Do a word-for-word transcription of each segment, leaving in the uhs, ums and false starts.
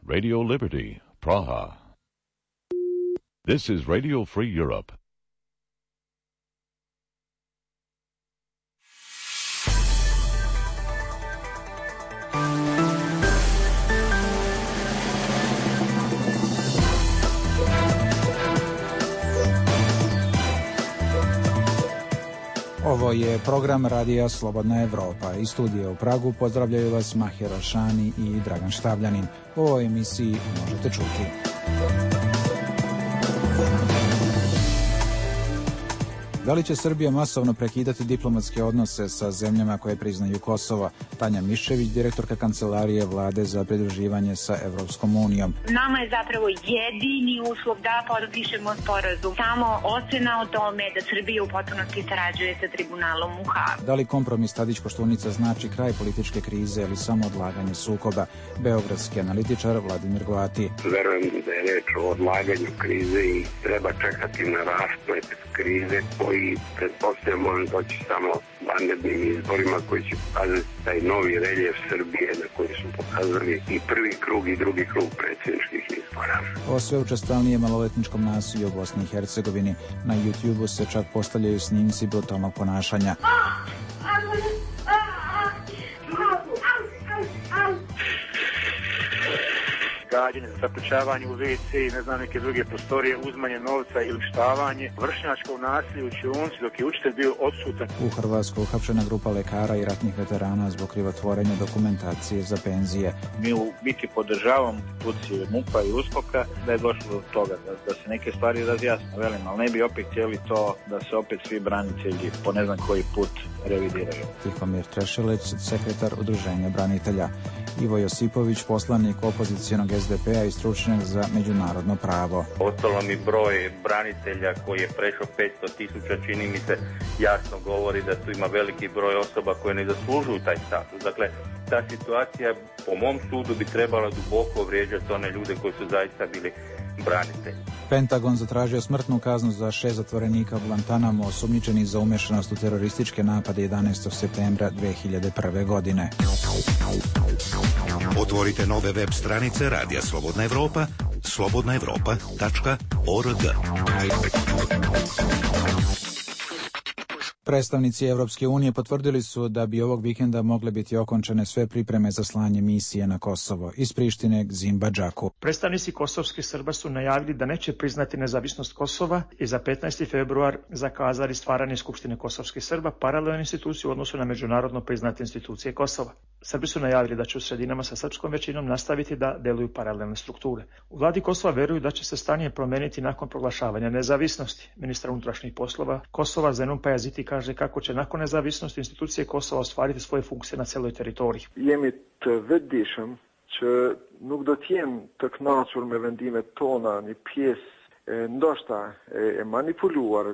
Radio Liberty, Praha. This is Radio Free Europe. Ovo je program Radija Slobodna Evropa. Iz studija u Pragu pozdravljaju vas Mahir Alšani i Dragan Štavljanin. U ovoj emisiji možete čuti. Da li će Srbija masovno prekidati diplomatske odnose sa zemljama koje priznaju Kosovo? Tanja Miščević, direktorka Kancelarije Vlade za pridruživanje sa Evropskom unijom. Nama je zapravo jedini uslov da potpišemo sporazum. Samo ocena o tome da Srbija u potpunosti sarađuje sa tribunalom u Hagu. Da li kompromis Tadić-Koštunica znači kraj političke krize ili samo odlaganje sukoba? Beogradski analitičar Vladimir Goati. Verujem da je reč o odlaganju krize i treba čekati na rasplet krize koji pretpostavljamo može doći samo vanrednim izborima koji će pokazati taj novi reljef Srbije na koji su pokazali i prvi krug i drugi krug predsjedničkih izbora. O sve učestalnije maloletničkom nasilju u Bosni i Hercegovini. Na YouTubeu se čak postavljaju snimci brutalnog ponašanja. Gađenje, zaključavanje u ve ce i ne znam neke druge prostorije, uzmanje novca ili štavanje, vršnjačko nasilje u učionici dok je učitelj bio odsutan. U Hrvatskoj uhapšena grupa lekara i ratnih veterana zbog krivotvorenja dokumentacije za penzije. Mi u biti podržavamo institucije MUP-a i USKOK-a da je došlo do toga, da, da se neke stvari razjasne, velim, ali ne bi opet htjeli to da se opet svi branitelji po ne znam koji put revidiraju. Tihomir Trešeleć, sekretar Udruženja branitelja. Ivo Josipović, poslanik opozicijonog es de pe a i stručnjak za međunarodno pravo. Ostalo mi broj branitelja koji je prešao petsto tisuća, čini mi se, jasno govori da tu ima veliki broj osoba koje ne zaslužuju taj status. Dakle, ta situacija po mom sudu bi trebala duboko vrijeđati one ljude koji su zaista bili branitelji. Pentagon zatražio smrtnu kaznu za šest zatvorenika u Guantanamo osumnjičenih za umešanost u terorističke napade jedanaestog septembra dve hiljade prve. godine. Otvorite nove web stranice Radija Slobodna Evropa, slobodna evropa tačka org. Predstavnici Evropske unije potvrdili su da bi ovog vikenda mogle biti okončane sve pripreme za slanje misije na Kosovo. Iz Prištine Zimba Džaku. Predstavnici kosovskih Srba su najavili da neće priznati nezavisnost Kosova i za petnaesti februar zakazali stvaranje Skupštine kosovskih Srba, paralelnu instituciju u odnosu na međunarodno priznate institucije Kosova. Srbi su najavili da će u sredinama sa srpskom većinom nastaviti da deluju paralelne strukture. U vladi Kosova veruju da će se stanje promeniti nakon proglašavanja nezavisnosti. Ministar unutrašnjih poslova Kosova Zenun Pajaziti kaže kako će nakon nezavisnosti institucije Kosova ostvariti svoje funkcije na celoj teritoriji. Jemi të vetëdijshëm që nuk do të jenë të kënaqur me vendimet tona një pjesë ndoshta e manipuluar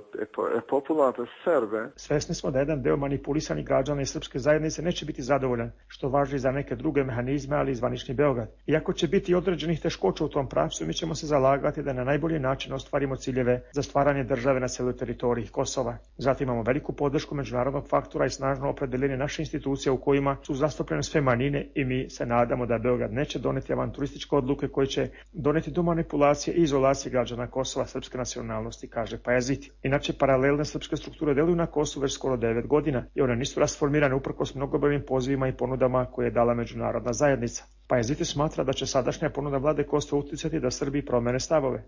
e populatas Serbe. Svesni smo da jedan deo manipulisanih građana i srpske zajednice neće biti zadovoljan, što važi za neke druge mehanizme, ali i zvanični Beograd. Iako će biti određenih teškoća u tom pravcu, mi ćemo se zalagati da na najbolji način ostvarimo ciljeve za stvaranje države na celoj teritoriji Kosova. Zatim imamo veliku podršku međunarodnog faktora i snažno opredeljenje naše institucije u kojima su zastupljene sve manjine i mi se nadamo da Beograd neće doneti avanturističke odluke koje će doneti do manipulacije i izolacije građana Kosova. Kosova srpske nacionalnosti, kaže Pajaziti. Inače, paralelne srpske strukture deluju na Kosovu već skoro devet godina i one nisu rasformirane uprkos mnogobrojnim pozivima i ponudama koje je dala međunarodna zajednica. Pajaziti smatra da će sadašnja ponuda vlade Kosova uticati da Srbiji promene stavove.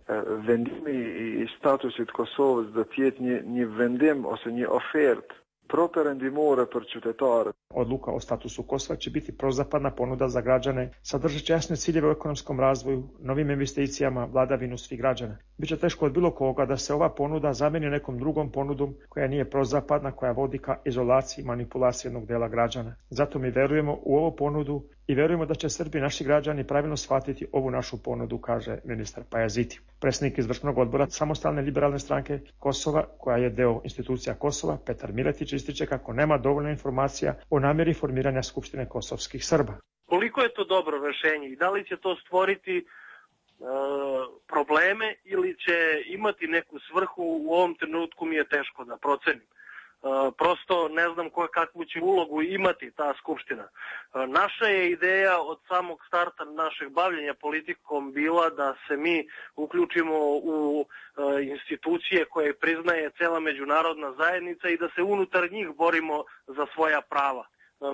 Vendimi i statusit Kosovës do të jetë një një vendim ose një ofertë properendimore për qytetarët. Odluka o statusu Kosova će biti prozapadna ponuda za građane, sadržat jasne ciljeve u ekonomskom razvoju, novim investicijama, vladavinu svih građana. Biće teško od bilo koga da se ova ponuda zameni nekom drugom ponudom koja nije prozapadna, koja vodi ka izolaciji i manipulaciji jednog dela građana. Zato mi verujemo u ovu ponudu i verujemo da će Srbi, naši građani, pravilno shvatiti ovu našu ponudu, kaže ministar Pajaziti. Predsjednik izvršnog odbora Samostalne liberalne stranke Kosova, koja je deo institucija Kosova, Petar Miletić, ističe kako nema dovoljno informacija o namjeri formiranja Skupštine kosovskih Srba. Koliko je to dobro rješenje i da li će to stvoriti e, probleme ili će imati neku svrhu, u ovom trenutku mi je teško da procenim. prosto ne znam kakvu će ulogu imati ta skupština. Naša je ideja od samog starta našeg bavljenja politikom bila da se mi uključimo u institucije koje priznaje cela međunarodna zajednica i da se unutar njih borimo za svoja prava.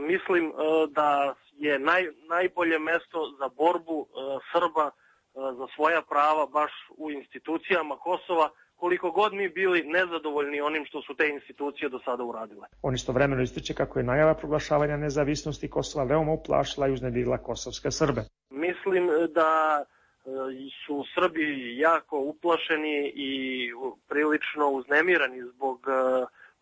Mislim da je naj, najbolje mesto za borbu Srba za svoja prava baš u institucijama Kosova, koliko god mi bili nezadovoljni onim što su te institucije do sada uradile. On istovremeno ističe kako je najava proglašavanja nezavisnosti Kosova veoma uplašila i uznemirila kosovske Srbe. Mislim da su Srbi jako uplašeni i prilično uznemirani zbog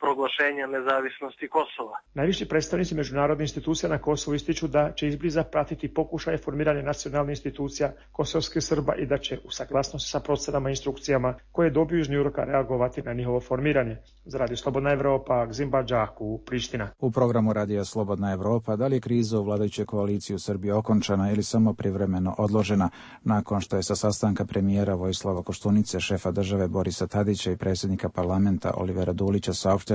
proglašenja nezavisnosti Kosova. Najviši predstavnici međunarodnih institucija na Kosovu ističu da će izbliza pratiti pokušaje formiranja nacionalnih institucija kosovskih Srba i da će u saglasnosti sa procenama i instrukcijama koje dobiju iz Njujorka reagovati na njihovo formiranje. Za Radio Slobodna Evropa, Gzimba Đaku, Priština. U programu Radija Slobodna Evropa, da li je kriza u vladajućoj koaliciji u Srbiji okončana ili samo privremeno odložena nakon što je sa sastanka premijera Vojislava Koštunice, šefa države Borisa Tadića i predsjednika parlamenta Olivera Dulića saopšteno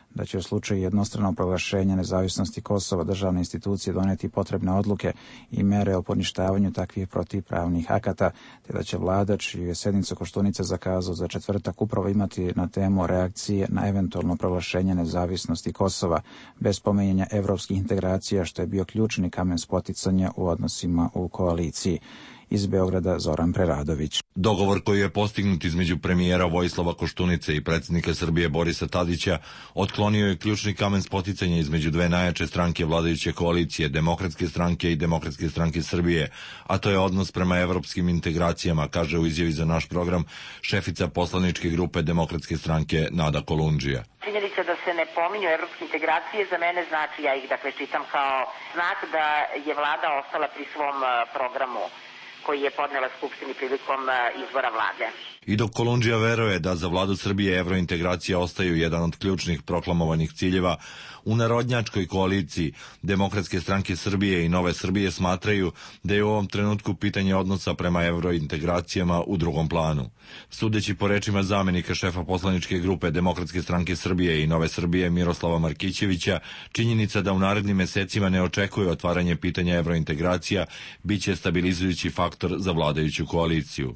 da će u slučaju jednostranog proglašenja nezavisnosti Kosova državne institucije doneti potrebne odluke i mere o poništavanju takvih protivpravnih akata, te da će vlada, čiju je sednicu Koštunica zakazao za četvrtak, upravo imati na temu reakcije na eventualno proglašenje nezavisnosti Kosova, bez spominjanja evropskih integracija, što je bio ključni kamen spoticanja u odnosima u koaliciji. Iz Beograda Zoran Preradović. Dogovor koji je postignut između premijera Vojislava Koštunice i predsjednika Srbije Borisa Tadića otklonio je ključni kamen spoticanja između dve najjače stranke vladajuće koalicije, Demokratske stranke i Demokratske stranke Srbije, a to je odnos prema evropskim integracijama, kaže u izjavi za naš program šefica poslaničke grupe Demokratske stranke Nada Kolundžija. Činjenica da se ne pominju evropske integracije za mene znači, ja ih dakle čitam kao znak da je vlada ostala pri svom programu koji je podnela Skupštini prilikom izbora vlade. I dok Kolundžija veruje da za vladu Srbije evrointegracija ostaju jedan od ključnih proklamovanih ciljeva, u narodnjačkoj koaliciji Demokratske stranke Srbije i Nove Srbije smatraju da je u ovom trenutku pitanje odnosa prema evrointegracijama u drugom planu. Sudeći po rečima zamenika šefa poslaničke grupe Demokratske stranke Srbije i Nove Srbije Miroslava Markićevića, činjenica da u narednim mesecima ne očekuje otvaranje pitanja evrointegracija biće stabilizujući faktor za vladajuću koaliciju.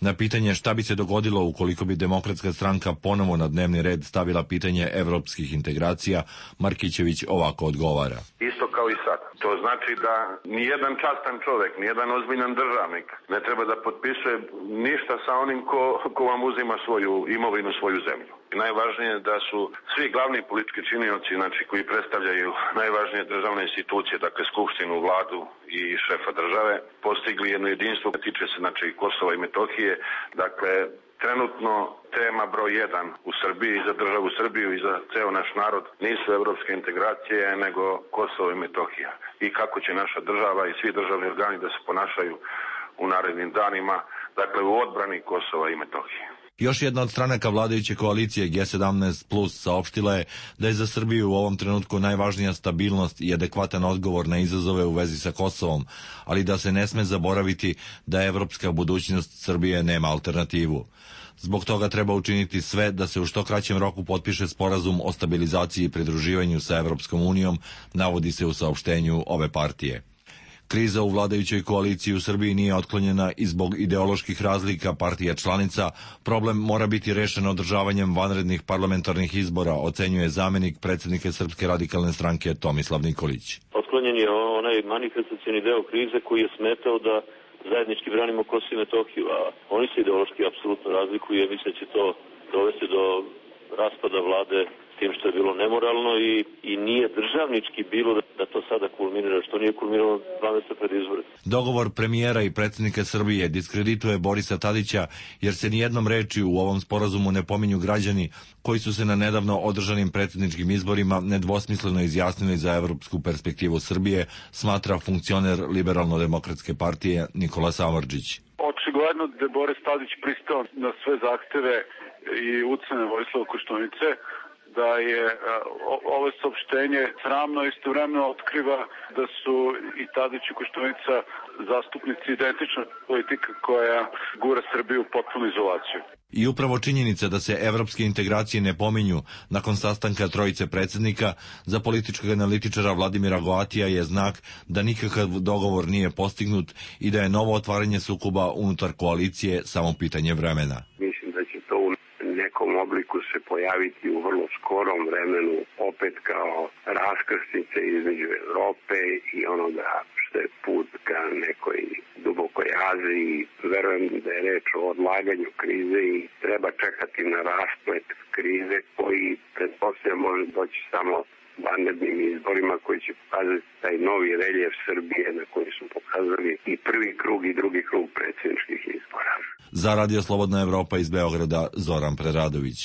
Na pitanje šta bi se dogodilo ukoliko bi Demokratska stranka ponovo na dnevni red stavila pitanje evropskih integracija, Markićević ovako odgovara. Isto kao i sad. To znači da nijedan častan čovjek, nijedan ozbiljan državnik ne treba da potpisuje ništa sa onim ko, ko vam uzima svoju imovinu, svoju zemlju. I najvažnije je da su svi glavni politički činioci, znači koji predstavljaju najvažnije državne institucije, dakle Skupštinu, vladu i šefa države, postigli jedno jedinstvo koje tiče se znači Kosova i Metohije. Dakle, trenutno tema broj jedan u Srbiji, za državu Srbiju i za ceo naš narod nisu evropske integracije, nego Kosovo i Metohija. I kako će naša država i svi državni organi da se ponašaju u narednim danima, dakle u odbrani Kosova i Metohije. Još jedna od stranaka vladajuće koalicije G sedamnaest plus saopštila je da je za Srbiju u ovom trenutku najvažnija stabilnost i adekvatan odgovor na izazove u vezi sa Kosovom, ali da se ne sme zaboraviti da evropska budućnost Srbije nema alternativu. Zbog toga treba učiniti sve da se u što kraćem roku potpiše sporazum o stabilizaciji i pridruživanju sa Evropskom unijom, navodi se u saopštenju ove partije. Kriza u vladajućoj koaliciji u Srbiji nije otklonjena i zbog ideoloških razlika partija članica. Problem mora biti rešen održavanjem vanrednih parlamentarnih izbora, ocenjuje zamenik predsjednika Srpske radikalne stranke Tomislav Nikolić. Otklonjen je onaj manifestacioni deo krize koji je smetao da zajednički branimo Kosovo i Metohiju, a oni se ideološki apsolutno razlikuju i mislim da će to dovesti do raspada vlade s tim što je bilo nemoralno i, i nije državnički bilo da, da to sada kulminira, što nije kulminiralo dva meseca pred izbore. Dogovor premijera i predsjednika Srbije diskredituje Borisa Tadića jer se nijednom rečju u ovom sporazumu ne pominju građani koji su se na nedavno održanim predsjedničkim izborima nedvosmisleno izjasnili za evropsku perspektivu Srbije, smatra funkcioner Liberalno-demokratske partije Nikola Samardžić. Očigledno da je Boris Tadić pristao na sve zahteve i ucene Vojislava Koštunice, da je ovo saopštenje sramno istovremeno otkriva da su i Tadić i Koštunica zastupnici identična politika koja gura Srbiju u potpunu izolaciju. I upravo činjenica da se evropske integracije ne pominju nakon sastanka trojice predsjednika za političkog analitičara Vladimira Goatija je znak da nikakav dogovor nije postignut i da je novo otvaranje sukoba unutar koalicije samo pitanje vremena. Mislim da će to u nekom obliku se pojaviti u vrlo skorom vremenu opet kao raskrsnice između Evrope i onoga što je put ka nekoj dubokoj Aziji. Verujem da je reč o odlaganju krize i treba čekati na rasplet krize koji pretpostavljam može doći samo vanrednim izborima koji će pokazati taj novi reljef Srbije na koji su pokazali i prvi krug i drugi krug predsjedničkih izbora. Za Radio Slobodna Evropa iz Beograda, Zoran Preradović.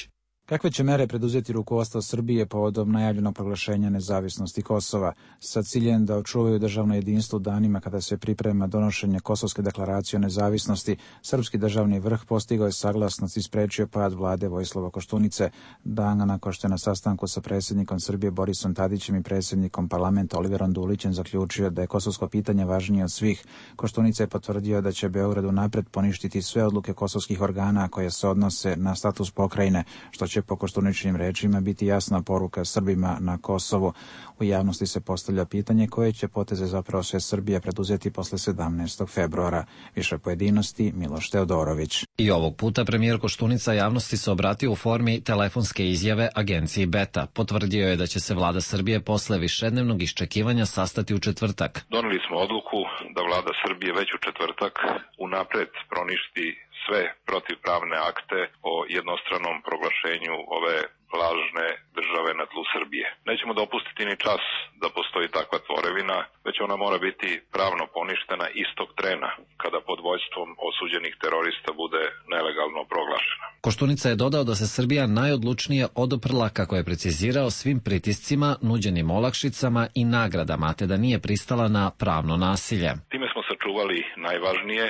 Kakve će mere preduzeti rukovodstvo Srbije povodom najavljenog proglašenja nezavisnosti Kosova sa ciljem da očuvaju državno jedinstvo u danima kada se priprema donošenje Kosovske deklaracije o nezavisnosti? Srpski državni vrh postigao je saglasnost i sprečio pad vlade Vojislava Koštunice dana nakon što je na sastanku sa predsjednikom Srbije Borisom Tadićem i predsjednikom parlamenta Oliverom Dulićem zaključio da je kosovsko pitanje važnije od svih. Koštunica je potvrdio da će Beograd unapred poništiti sve odluke kosovskih organa koje se odnose na status pokrajine, što će po Koštuničinim rečima biti jasna poruka Srbima na Kosovu. U javnosti se postavlja pitanje koje će poteze zapravo sve Srbija preduzeti posle sedamnaestog februara. Više pojedinosti Miloš Teodorović. I ovog puta premijer Koštunica javnosti se obratio u formi telefonske izjave agenciji Beta. Potvrdio je da će se vlada Srbije posle višednevnog iščekivanja sastati u četvrtak. Doneli smo odluku da vlada Srbije već u četvrtak unapred proništi sve protivpravne akte o jednostranom proglašenju ove lažne države na tlu Srbije. Nećemo dopustiti ni čas da postoji takva tvorevina, već ona mora biti pravno poništena istog trena kada pod vođstvom osuđenih terorista bude nelegalno proglašena. Koštunica je dodao da se Srbija najodlučnije oduprla, kako je precizirao, svim pritiscima, nuđenim olakšicama i nagradama, te da nije pristala na pravno nasilje. Time smo sačuvali najvažnije,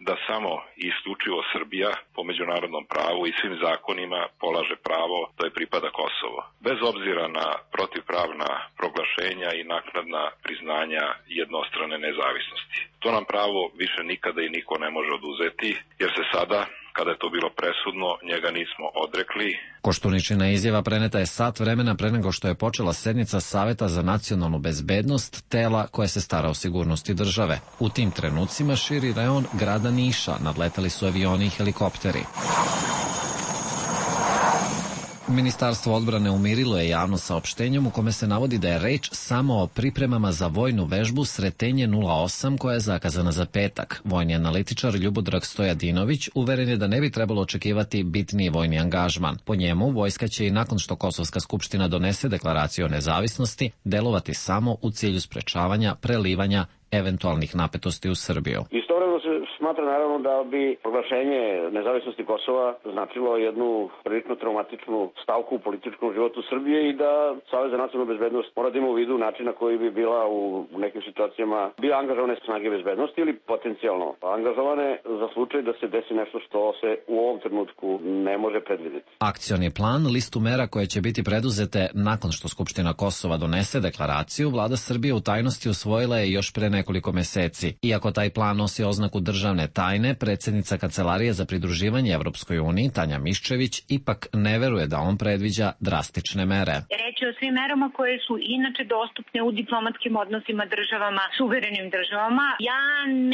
da samo i isključivo Srbija po međunarodnom pravu i svim zakonima polaže pravo da je pripada Kosovo, bez obzira na protivpravna proglašenja i naknadna priznanja jednostrane nezavisnosti. To nam pravo više nikada i niko ne može oduzeti, jer se sada, kada je to bilo presudno, njega nismo odrekli. Koštuničina izjava preneta je sat vremena pre nego što je počela sednica Saveta za nacionalnu bezbednost, tela koje se stara o sigurnosti države. U tim trenucima širi reon grada Niša nadletali su avioni i helikopteri. Ministarstvo odbrane umirilo je javno saopštenjem u kome se navodi da je reč samo o pripremama za vojnu vežbu Sretenje nula osam koja je zakazana za petak. Vojni analitičar Ljubodrag Stojadinović uveren je da ne bi trebalo očekivati bitniji vojni angažman. Po njemu, vojska će i nakon što Kosovska skupština donese deklaraciju o nezavisnosti delovati samo u cilju sprečavanja prelivanja eventualnih napetosti u Srbiju. Istovremeno se smatra naravno da bi proglašenje nezavisnosti Kosova značilo jednu prilično traumatičnu stavku u političkom životu Srbije i da Savez za nacionalnu bezbednost mora da ima u vidu način na koji bi bila u nekim situacijama bila angažovane snage bezbednosti ili potencijalno angažovane za slučaj da se desi nešto što se u ovom trenutku ne može predvideti. Akcioni plan, listu mera koje će biti preduzete nakon što Skupština Kosova donese deklaraciju, vlada Srbije u tajnosti usvojila je još pre nekoliko meseci. Iako taj plan nosi oznaku državne tajne, predsjednica Kancelarije za pridruživanje Evropskoj uniji, Tanja Miščević, ipak ne veruje da on predviđa drastične mere. Reč je o svim merama koje su inače dostupne u diplomatskim odnosima državama, suverenim državama. Ja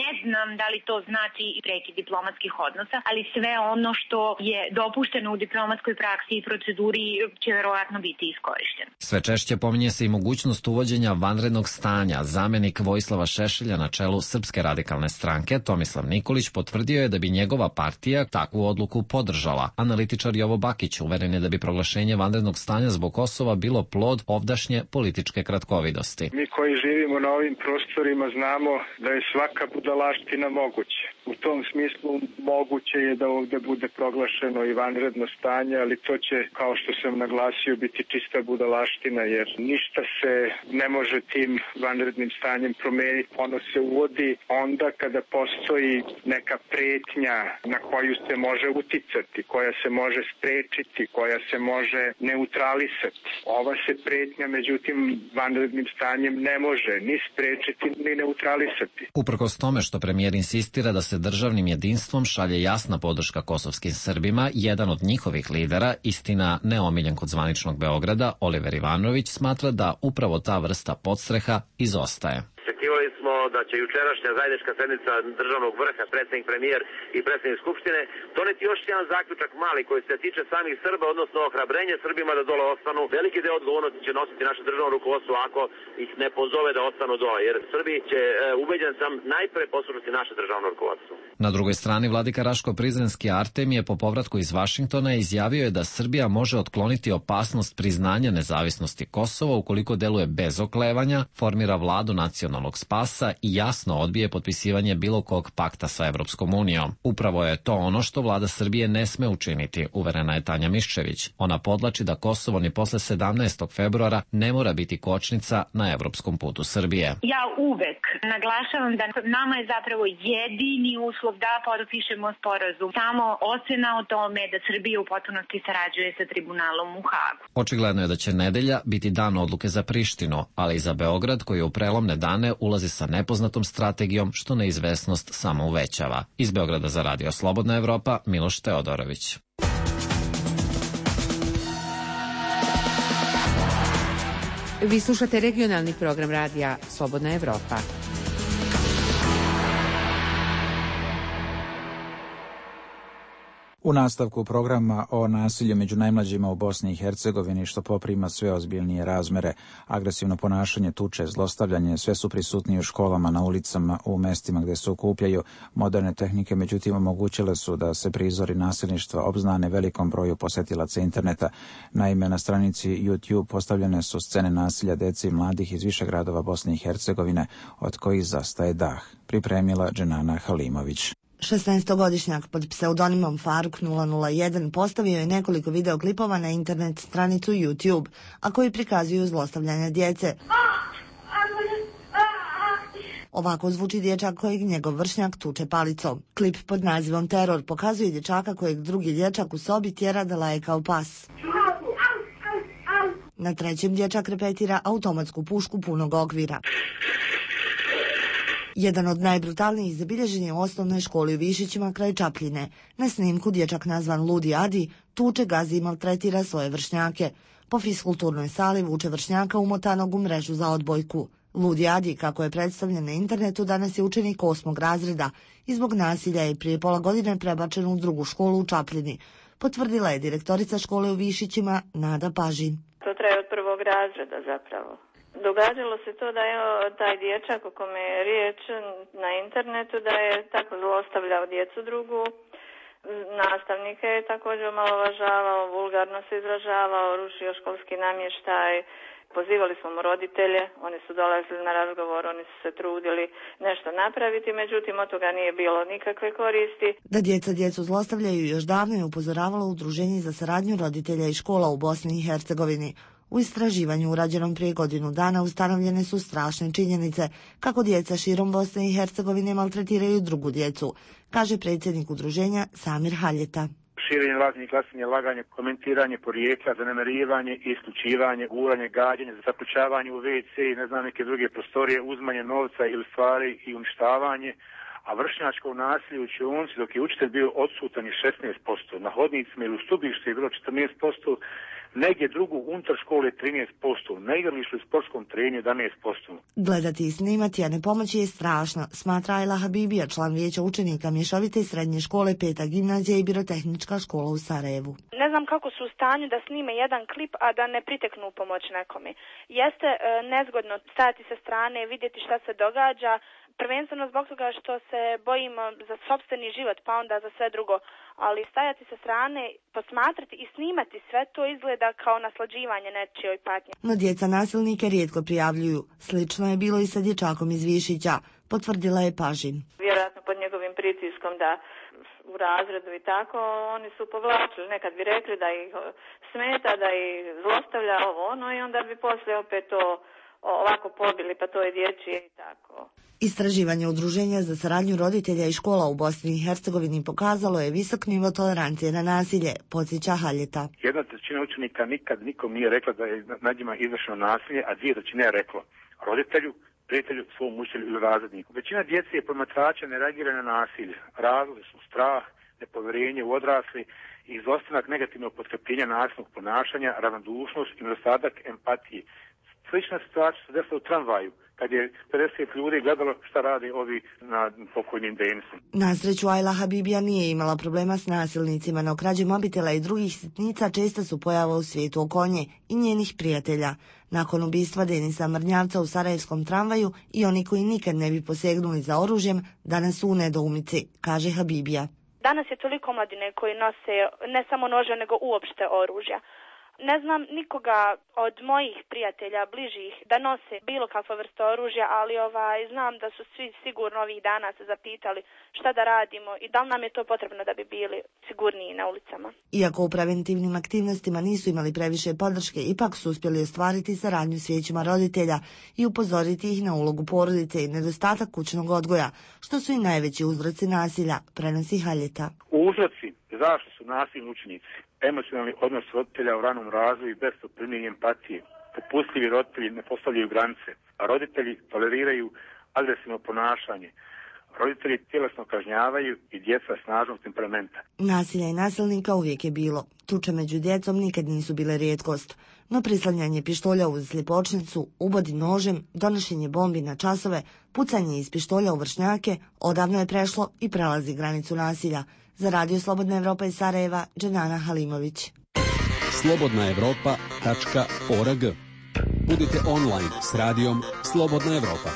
ne znam da li to znači i prekid diplomatskih odnosa, ali sve ono što je dopušteno u diplomatskoj praksi i proceduri će verovatno biti iskorišteno. Sve češće pominje se i mogućnost uvođenja vanrednog stanja. Zamenik Vojislava Šešelja na čelu Srpske radikalne stranke, Tomislav Nikolić, potvrdio je da bi njegova partija takvu odluku podržala. Analitičar Jovo Bakić uveren je da bi proglašenje vanrednog stanja zbog Kosova bilo plod ovdašnje političke kratkovidosti. Mi koji živimo na ovim prostorima znamo da je svaka budalaština moguća. U tom smislu moguće je da ovde bude proglašeno i vanredno stanje, ali to će, kao što sam naglasio, biti čista budalaština, jer ništa se ne može tim vanrednim stanjem promeniti. Ono se uvodi onda kada postoji neka pretnja na koju se može uticati, koja se može sprečiti, koja se može neutralisati. Ova se pretnja, međutim, vanrednim stanjem ne može ni sprečiti, ni neutralisati. Uprkos tome što premijer insistira da se državnim jedinstvom šalje jasna podrška kosovskim Srbima. Jedan od njihovih lidera, istina neomiljen kod zvaničnog Beograda, Oliver Ivanović, smatra da upravo ta vrsta podstreha izostaje. Očekivali smo da će jučerašnja zajednička sednica državnog vrha, predsjednik, premijer i predsjednik Skupštine, doneti još jedan zaključak mali koji se tiče samih Srba, odnosno ohrabrenje Srbima da dole ostanu. Veliki deo odgovornosti će nositi naše državno rukovodstvo ako ih ne pozove da ostanu dole, jer Srbi će, ubeđen sam, najpre poslušati naše državno rukovodstvo. Na drugoj strani vladika Raško-Prizrenski Artemije po povratku iz Vašingtona izjavio je da Srbija može otkloniti opasnost priznanja nezavisnosti Kosova ukoliko deluje bez oklevanja, formira vladu nacionalnog spasa i jasno odbije potpisivanje bilo kog pakta sa Evropskom unijom. Upravo je to ono što vlada Srbije ne sme učiniti, uverena je Tanja Miščević. Ona podlači da Kosovo ni posle sedamnaestog februara ne mora biti kočnica na evropskom putu Srbije. Ja uvek naglašavam da nama je zapravo jedini uslov da potpišemo sporazum. Samo ocena o tome da Srbija u potpunosti sarađuje sa tribunalom u Hagu. Očigledno je da će nedelja biti dan odluke za Prištinu, ali i za Beograd koji u prelomne dane ulazi sa nepoznatom strategijom što neizvesnost samo uvećava. Iz Beograda za Radio Slobodna Evropa, Miloš Teodorović. Vi slušate regionalni program radija Slobodna Evropa. U nastavku programa o nasilju među najmlađima u Bosni i Hercegovini, što poprima sve ozbiljnije razmere, agresivno ponašanje, tuče, zlostavljanje, sve su prisutniji u školama, na ulicama, u mestima gdje se okupljaju. Moderne tehnike, međutim, omogućile su da se prizori nasilništva obznane velikom broju posetilaca interneta. Naime, na stranici YouTube postavljene su scene nasilja dece i mladih iz više gradova Bosne i Hercegovine, od kojih zastaje dah. Pripremila Dženana Halimović. šesnaestogodišnjak pod pseudonimom Faruk nula nula jedan postavio je nekoliko videoklipova na internet stranicu YouTube, a koji prikazuju zlostavljanje djece. Ovako zvuči dječak kojeg njegov vršnjak tuče palicom. Klip pod nazivom Teror pokazuje dječaka kojeg drugi dječak u sobi tjera da laje kao pas. Na trećem dječak repetira automatsku pušku punog okvira. Jedan od najbrutalnijih zabilježen je u osnovnoj školi u Višićima kraj Čapljine. Na snimku dječak nazvan Ludi Adi tuče, gazi i maltretira svoje vršnjake. Po fiskulturnoj sali vuče vršnjaka umotanog u mrežu za odbojku. Ludi Adi, kako je predstavljen na internetu, danas je učenik osmog razreda i zbog nasilja je prije pola godine prebačen u drugu školu u Čapljini. Potvrdila je direktorica škole u Višićima Nada Pažin. To traje od prvog razreda zapravo. Događalo se to da je taj dječak o kome je riječ na internetu da je tako zlostavljao djecu drugu, nastavnike je također omalovažavao, vulgarno se izražavao, rušio školski namještaj, pozivali smo mu roditelje, oni su dolazili na razgovor, oni su se trudili nešto napraviti, međutim od toga nije bilo nikakve koristi. Da djeca djecu zlostavljaju još davno je upozoravalo Udruženje za saradnju roditelja i škola u Bosni i Hercegovini. U istraživanju urađenom prije godinu dana ustanovljene su strašne činjenice kako djeca širom Bosne i Hercegovine maltretiraju drugu djecu, kaže predsjednik udruženja Samir Haljeta. Širenje lažnih glasanja, laganje, komentiranje porijekla, zanemarivanje, isključivanje, guranje, gađanje, zaključavanje u ve ce i ne znam neke druge prostorije, uzmanje novca ili stvari i uništavanje, a vršnjačko nasilje u učionici dok je učitelj bio odsutan je šesnaest posto, na hodnicima ili u stubištu je bilo četrnaest posto, negdje drugu unutar škole trinaest posto, na igralištu i sportskom trenju jedanaest posto. Gledati i snimati, a ne pomoći je strašno, smatra Ajla Habibija, član vijeća učenika mješovite srednje škole, peta gimnazija i birotehnička škola u Sarajevu. Ne znam kako su u stanju da snime jedan klip, a da ne priteknu u pomoć nekome. Jeste e, nezgodno stajati sa strane, vidjeti šta se događa, prvenstveno zbog toga što se bojimo za sopstveni život, pa onda za sve drugo, ali stajati sa strane, posmatrati i snimati sve to izgleda kao naslađivanje nečijoj patnje. No djeca nasilnike rijetko prijavljuju. Slično je bilo i sa dječakom iz Višića, potvrdila je Pažin. Vjerojatno pod njegovim pritiskom da u razredu i tako, oni su povlačili. Nekad bi rekli da ih smeta, da ih zlostavlja ovo ono i onda bi poslije opet to ovako pobili, pa to je dječje i tako. Istraživanje Udruženja za saradnju roditelja i škola u Bosni i Hercegovini pokazalo je visok nivo tolerancije na nasilje, podsjeća Haljeta. Jedna trećina učenika nikad nikom nije rekla da je nad njima izvršeno nasilje, a dvije trećine je reklo roditelju, prijatelju, svom učitelju ili razredniku. Većina djece i promatrača ne reagira na nasilje. Razlozi su strah, nepovjerenje u odrasli i izostanak negativnog potkrepljenja nasilnog ponašanja, ravnodušnost i nedostatak empatije. Slična situacija se desila u tramvaju, kad je pedeset ljudi gledalo šta rade ovi na pokojnim Denisom. Na sreću, Ajla Habibija nije imala problema s nasilnicima, no krađe mobitela i drugih sitnica često su pojava u svijetu oko nje i njenih prijatelja. Nakon ubistva Denisa Mrnjavca u sarajevskom tramvaju i oni koji nikad ne bi posegnuli za oružjem, danas su u nedoumici, kaže Habibija. Danas je toliko omladine koji nose ne samo nože, nego uopšte oružja. Ne znam nikoga od mojih prijatelja, bližih, da nose bilo kakva vrsta oružja, ali ovaj, znam da su svi sigurno ovih dana se zapitali šta da radimo i da li nam je to potrebno da bi bili sigurniji na ulicama. Iako u preventivnim aktivnostima nisu imali previše podrške, ipak su uspjeli ostvariti saradnju s vijećima roditelja i upozoriti ih na ulogu porodice i nedostatak kućnog odgoja, što su i najveći uzroci nasilja, prenosi Haljeta. Uzroci zašto su nasilni učenici? Emocionalni odnos roditelja u ranom razvoju i besoprimljenje empatije. Popustljivi roditelji ne postavljaju granice, a roditelji toleriraju agresivno ponašanje. Roditelji tjelesno kažnjavaju i djeca snažnog temperamenta. Nasilja i nasilnika uvijek je bilo. Tuče među djecom nikad nisu bile rijetkost, no prislanjanje pištolja uz sljepočnicu, ubodi nožem, donošenje bombi na časove, pucanje iz pištolja u vršnjake odavno je prešlo i prelazi granicu nasilja. Za Radio Slobodna Evropa iz Sarajeva, Dženana Halimović. slobodna evropa tačka org. Budite online s radijom Slobodna Evropa.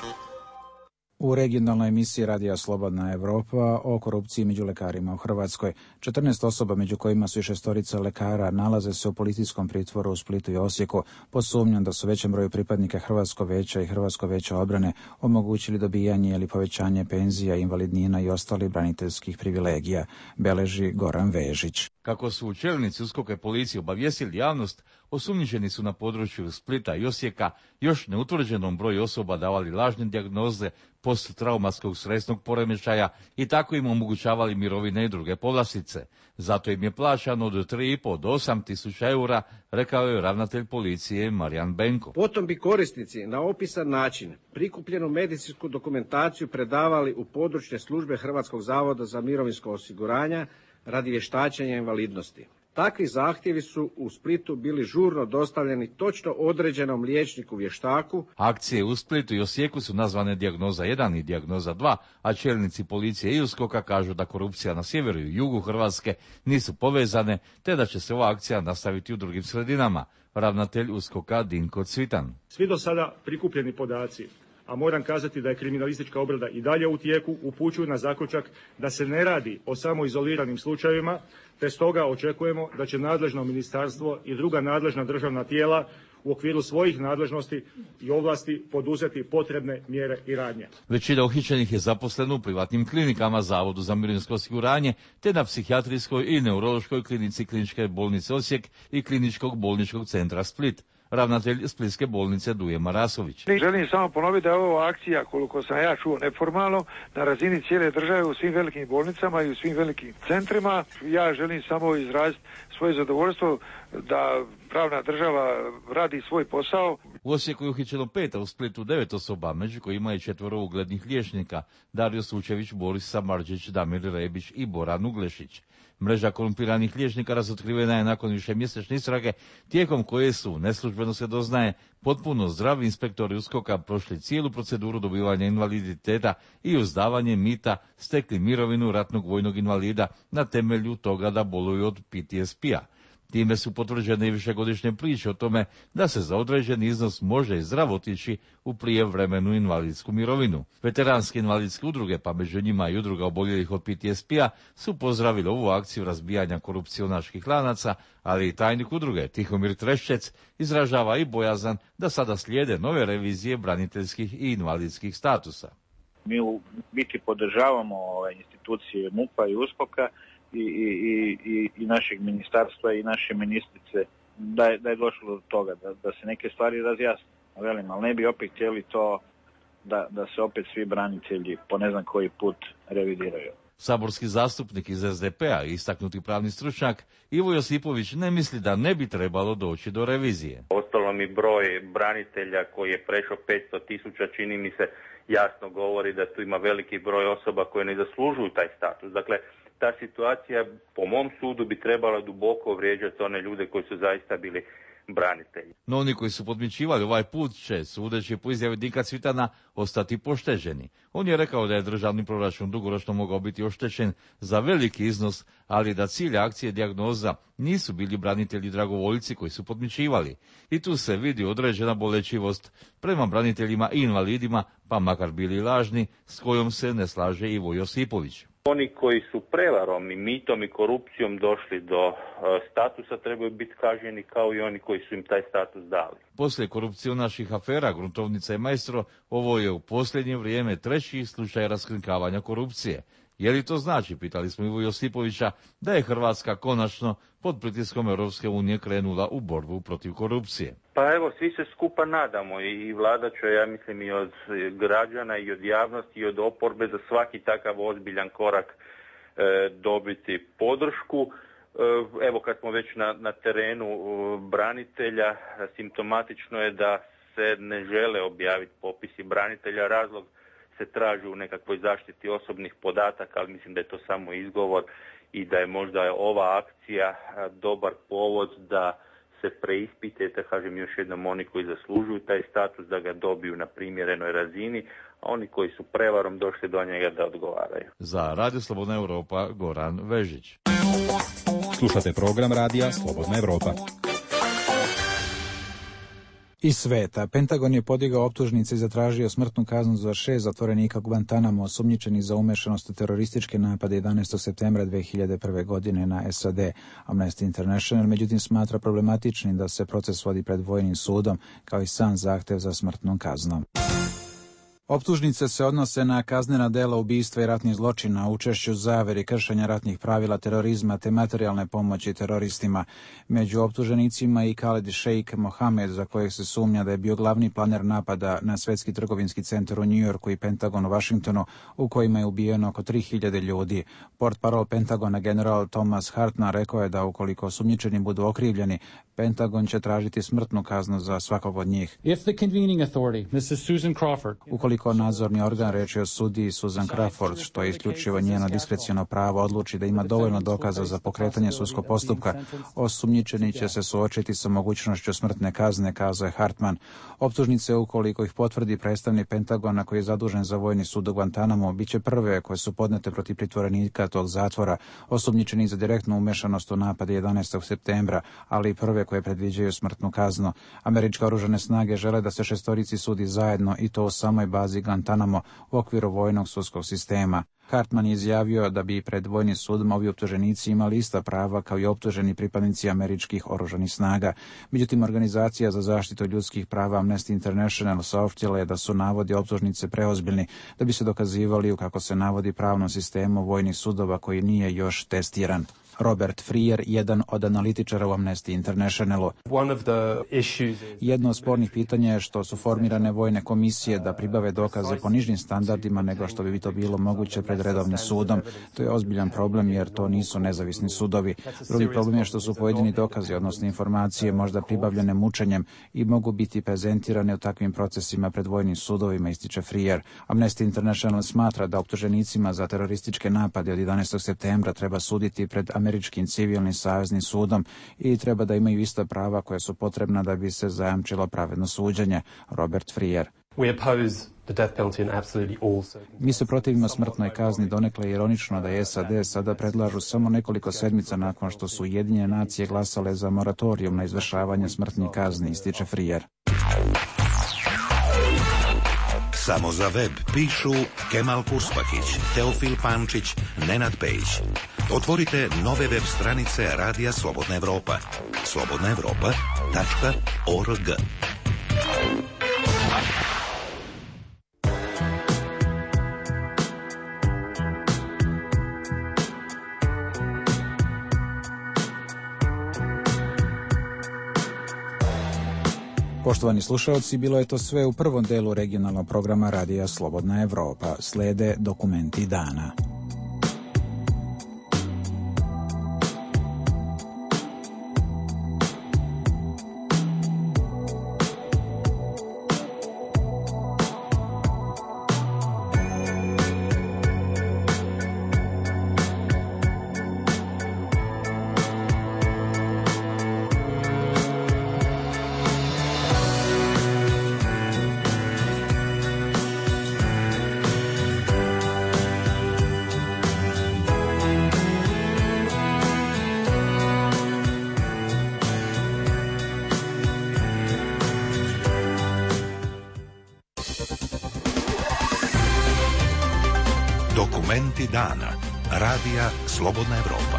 U regionalnoj emisiji Radija Slobodna Evropa o korupciji među lekarima u Hrvatskoj. četrnaest osoba, među kojima su i šestorica lekara, nalaze se u policijskom pritvoru u Splitu i Osijeku pod sumnjom da su većem broju pripadnika Hrvatskog veća i Hrvatskog veća obrane omogućili dobijanje ili povećanje penzija, invalidnina i ostalih braniteljskih privilegija, beleži Goran Vežić. Kako su čelnici USKOK-a i policije obavijestili javnost, osumnjičeni su na području Splita i Osijeka još neutvrđenom broju osoba davali lažne dijagnoze posttraumatskog stresnog poremećaja i tako im omogućavali mirovine i druge povlastice. Zato im je plaćano od tri i pol do osam tisuća eura, rekao je ravnatelj policije Marijan Benko. Potom bi korisnici na opisan način prikupljenu medicinsku dokumentaciju predavali u područne službe Hrvatskog zavoda za mirovinsko osiguranje radi vještačenja invalidnosti. Takvi zahtjevi su u Splitu bili žurno dostavljeni točno određenom liječniku vještaku. Akcije u Splitu i Osijeku su nazvane dijagnoza jedan i dijagnoza dva, a čelnici policije i USKOK-a kažu da korupcija na sjeveru i jugu Hrvatske nisu povezane, te da će se ova akcija nastaviti u drugim sredinama. Ravnatelj USKOK-a Dinko Cvitan. Svi do sada prikupljeni podaci, a moram kazati da je kriminalistička obrada i dalje u tijeku, upućuju na zaključak da se ne radi o samo izoliranim slučajevima, te stoga očekujemo da će nadležno ministarstvo i druga nadležna državna tijela u okviru svojih nadležnosti i ovlasti poduzeti potrebne mjere i radnje. Većina uhićenih je zaposleno u privatnim klinikama, Zavodu za mirovinsko osiguranje, te na psihijatrijskoj i neurološkoj klinici Kliničke bolnice Osijek i Kliničkog bolničkog centra Split. Ravnatelj Splitske bolnice Duje Marasović. Želim samo ponoviti da je ovo akcija, koliko sam ja čuo, neformalno, na razini cijele države u svim velikim bolnicama i u svim velikim centrima. Ja želim samo izraziti svoje zadovoljstvo da pravna država radi svoj posao. U Osijeku je uhićeno pet, a u Splitu devet osoba, među kojima je četvoro uglednih liječnika, Dario Sučević, Boris Samardžić, Damir Rebić i Boran Uglešić. Mreža korumpiranih liječnika razotkrivena je nakon višemjesečne istrage, tijekom koje su, neslužbeno se doznaje, potpuno zdravi inspektori USKOK-a prošli cijelu proceduru dobivanja invaliditeta i uz davanje mita stekli mirovinu ratnog vojnog invalida na temelju toga da boluju od P T S P-a. Time su potvrđene i višegodišnje priče o tome da se za određen iznos može i zdravo otići u prijevremenu invalidsku mirovinu. Veteranske invalidske udruge, pa među njima i udruga oboljelih od P T S P-a, su pozdravili ovu akciju razbijanja korupcionaških lanaca, ali i tajnik udruge Tihomir Treščec izražava i bojazan da sada slijede nove revizije braniteljskih i invalidskih statusa. Mi u biti podržavamo ove institucije MUP-a i USKOK-a, I, i, i, i našeg ministarstva i naše ministrice da je, da je došlo do toga, da, da se neke stvari razjasne. Velim, ali ne bi opet htjeli to da, da se opet svi branitelji po ne znam koji put revidiraju. Saborski zastupnik iz S D P-a i istaknuti pravni stručnjak Ivo Josipović ne misli da ne bi trebalo doći do revizije. Od Uostalom i broj branitelja koji je prešao petsto tisuća, čini mi se, jasno govori da tu ima veliki broj osoba koje ne zaslužuju taj status. Dakle, ta situacija po mom sudu bi trebala duboko vrijeđati one ljude koji su zaista bili branitelji. No oni koji su podmićivali ovaj put će, sudeći po izjavi Dinka Cvitana, ostati pošteđeni. On je rekao da je državni proračun dugoročno mogao biti oštećen za veliki iznos, ali da cilj akcije dijagnoza nisu bili branitelji dragovoljci koji su podmićivali. I tu se vidi određena bolečivost prema braniteljima i invalidima, pa makar bili lažni, s kojom se ne slaže Ivo Josipović. Oni koji su prevarom i mitom i korupcijom došli do uh, statusa trebaju biti kažnjeni kao i oni koji su im taj status dali. Poslije korupcionaških afera Gruntovnica i Maestro, ovo je u posljednje vrijeme treći slučaj raskrinkavanja korupcije. Je li to znači, pitali smo Ivo Josipovića, da je Hrvatska konačno pod pritiskom Europske unije krenula u borbu protiv korupcije? Pa evo, svi se skupa nadamo i vlada će, ja mislim, i od građana i od javnosti i od oporbe za svaki takav ozbiljan korak e, dobiti podršku. E, evo, kad smo već na, na terenu e, branitelja, simptomatično je da se ne žele objaviti popisi branitelja. Razlog se traži u nekakvoj zaštiti osobnih podataka, ali mislim da je to samo izgovor i da je možda ova akcija dobar povod da se preispite, kažem još jednom, oni koji zaslužuju taj status da ga dobiju na primjerenoj razini, a oni koji su prevarom došli do njega da odgovaraju. Za Radio Slobodna Europa, Goran Vežić. Slušate program Radija Slobodna Europa. Iz sveta. Pentagon je podigao optužnice i zatražio smrtnu kaznu za šest zatvorenika Guantanamo osumnjičenih za umešanost u terorističke napade jedanaestog septembra dve hiljade prve. godine na S A D. Amnesty International međutim smatra problematičnim da se proces vodi pred vojnim sudom, kao i sam zahtev za smrtnom kaznom. Optužnice se odnose na kaznena dela ubistva i ratnih zločina, učešću zaveri, kršenja ratnih pravila, terorizma te materijalne pomoći teroristima. Među optuženicima i Khaled Sheikh Mohammed, za kojeg se sumnja da je bio glavni planer napada na Svetski trgovinski centar u New Yorku i Pentagon u Washingtonu, u kojima je ubijeno oko tri hiljade ljudi. Portparol Pentagona general Thomas Hartman rekao je da ukoliko osumnjičeni budu okrivljeni, Pentagon će tražiti smrtnu kaznu za svakog od njih. If the convening authority, missus Susan Crawford, ukoliko nadzorni organ, reč je o sudiji Susan Crawford, što je isključivo njeno diskreciono pravo, odluči da ima dovoljno dokaza za pokretanje sudskog postupka, osumnjičeni će se suočiti sa mogućnošću smrtne kazne, kazao je Hartman. Optužnice, ukoliko ih potvrdi predstavnik Pentagona koji je zadužen za vojni sud u Guantanamo, bit će prve koje su podnete protiv pritvorenika tog zatvora, osumnjičeni za direktnu umešanost u napade jedanaestog septembra, ali i prve koje predviđaju smrtnu kaznu. Američke oružane snage žele da se šestorici sudi zajedno i to u samoj bazi Guantanamo u okviru vojnog sudskog sistema. Hartman je izjavio da bi pred vojnim sudom ovi optuženici imali ista prava kao i optuženi pripadnici američkih oružanih snaga. Međutim, organizacija za zaštitu ljudskih prava Amnesty International saopštila je da su navodi optužnice preozbiljni da bi se dokazivali u, kako se navodi, pravnom sistemu vojnih sudova koji nije još testiran. Robert Freer, jedan od analitičara u Amnesty Internationalu. Jedno od spornih pitanja je što su formirane vojne komisije da pribave dokaze po nižim standardima nego što bi to bilo moguće pred redovnim sudom. To je ozbiljan problem jer to nisu nezavisni sudovi. Drugi problem je što su pojedini dokazi, odnosno informacije, možda pribavljene mučenjem i mogu biti prezentirane u takvim procesima pred vojnim sudovima, ističe Freer. Amnesty International smatra da optuženicima za terorističke napade od jedanaestog septembra treba suditi pred američkim civilnim saveznim sudom i treba da imaju ista prava koja su potrebna da bi se zajamčilo pravedno suđenje. Robert Freer. Mi se protivimo smrtnoj kazni, donekle je ironično da je S A D sada predlažu samo nekoliko sedmica nakon što su Ujedinjene nacije glasale za moratorijum na izvršavanje smrtnih kazni, ističe Freer. Samo za web pišu Kemal Kurspahić, Teofil Pančić, Nenad Pejić. Otvorite nove web stranice Radija Slobodna Evropa. slobodna evropa tačka org. Poštovani slušalci, bilo je to sve u prvom delu regionalnog programa Radija Slobodna Evropa. Slede dokumenti dana. Savjeti dana. Radija Slobodna Evropa.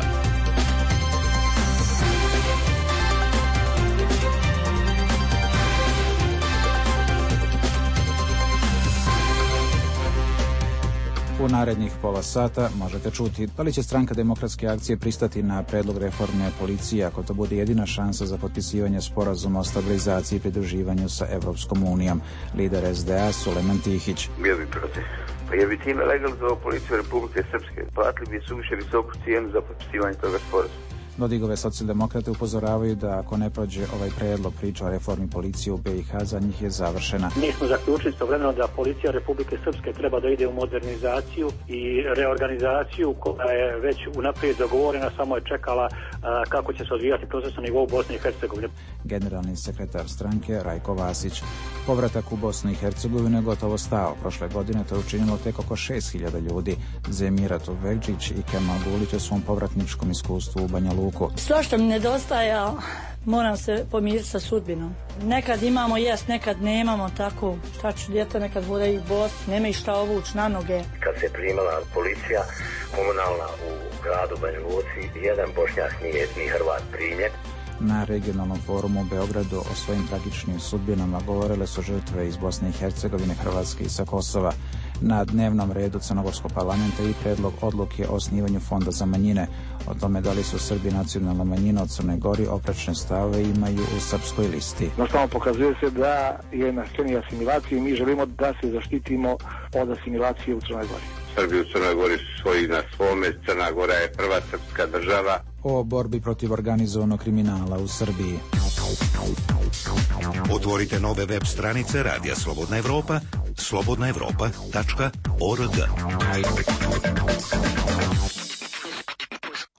U narednih pola sata možete čuti da li će stranka Demokratske akcije pristati na predlog reforme policije ako to bude jedina šansa za potpisivanje sporazuma o stabilizaciji i pridruživanju sa Evropskom unijom. Lider S D A Sulejman Tihić. Bio bi protiv. Pa je bi time legalizovao policiju Republike Srpske. Platili bi suviše visoku cijenu za potpisivanje toga sporazuma. Dodigove socijaldemokrate upozoravaju da ako ne prođe ovaj predlog, priča o reformi policije u B i H za njih je završena. Mi smo zaključili istovremeno da policija Republike Srpske treba da ide u modernizaciju i reorganizaciju koja je već unaprijed dogovorena, samo je čekala a, kako će se odvijati proces na nivou Bosne i Hercegovine. Generalni sekretar stranke Rajko Vasić. Povratak u Bosnu i Hercegovinu je gotovo stao. Prošle godine to je učinilo tek oko šest hiljada ljudi. Zemira Tovegđić i Kemal Gulić o svom povratničkom iskustvu u Banja Luku. Svašta mi nedostaja, moram se pomiriti sa sudbinom. Nekad imamo jest, nekad nemamo, tako. Šta ću, djeca nekad bude i bos, nema i šta ovući na noge. Kad se primala policija komunalna u gradu Banja Luci, jedan Bošnjak nije ni Hrvat primjen. Na regionalnom forumu u Beogradu o svojim tragičnim sudbinama govorile su žrtve iz Bosne i Hercegovine, Hrvatske i sa Kosova. Na dnevnom redu Crnogorskog parlamenta i predlog odluke o osnivanju fonda za manjine. O tome da li su Srbi nacionalna manjina od Crne Gori oprečne stave imaju u srpskoj listi. No samo pokazuje se da je na sceni asimilacije i mi želimo da se zaštitimo od asimilacije u Crnoj Gori. Srbi u Crnoj Gori su svoji na svome, Crna Gora je prva srpska država. O borbi protiv organizovanog kriminala u Srbiji. Otvorite nove web stranice Radija Slobodna Evropa, slobodna evropa tačka org.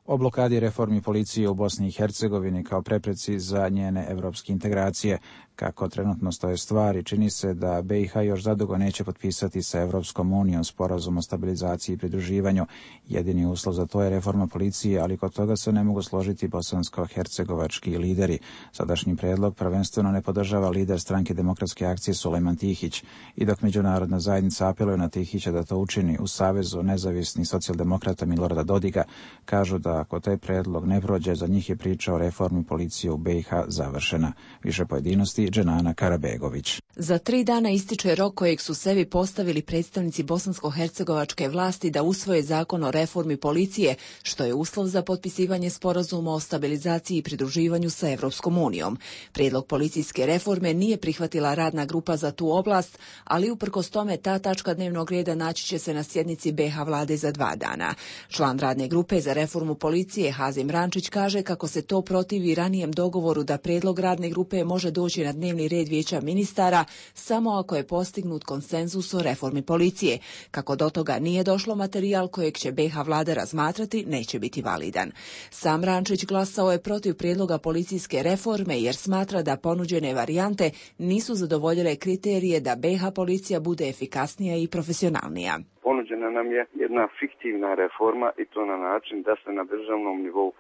O blokadi reformi policije u Bosni i Hercegovini kao prepreci za njene evropske integracije. Kako trenutno stoje stvari, čini se da B i H još zadugo neće potpisati sa Evropskom unijom sporazum o stabilizaciji i pridruživanju. Jedini uslov za to je reforma policije, ali kod toga se ne mogu složiti bosansko-hercegovački lideri. Sadašnji predlog prvenstveno ne podržava lider stranke Demokratske akcije Sulejman Tihić. I dok međunarodna zajednica apeluje na Tihića da to učini, u Savezu nezavisnih socijaldemokrata Milorada Dodiga kažu da ako taj predlog ne prođe, za njih je priča o reformi policije u B i H završena. Više pojedinosti Dženana Karabegović. Za tri dana ističe rok kojeg su sebi postavili predstavnici bosansko-hercegovačke vlasti da usvoje zakon o reformi policije, što je uslov za potpisivanje sporazuma o stabilizaciji i pridruživanju sa Evropskom unijom. Prijedlog policijske reforme nije prihvatila radna grupa za tu oblast, ali uprkos tome ta tačka dnevnog reda naći će se na sjednici B i H vlade za dva dana. Član radne grupe za reformu policije Hazim Rančić kaže kako se to protivi ranijem dogovoru da prijedlog radne grupe može doći na dnevni red vijeća ministara samo ako je postignut konsenzus o reformi policije. Kako do toga nije došlo, materijal kojeg će B i H vlada razmatrati neće biti validan. Sam Rančić glasao je protiv prijedloga policijske reforme jer smatra da ponuđene varijante nisu zadovoljile kriterije da B i H policija bude efikasnija i profesionalnija. Ponuđena nam je jedna fiktivna reforma i to na način da se na državnom nivou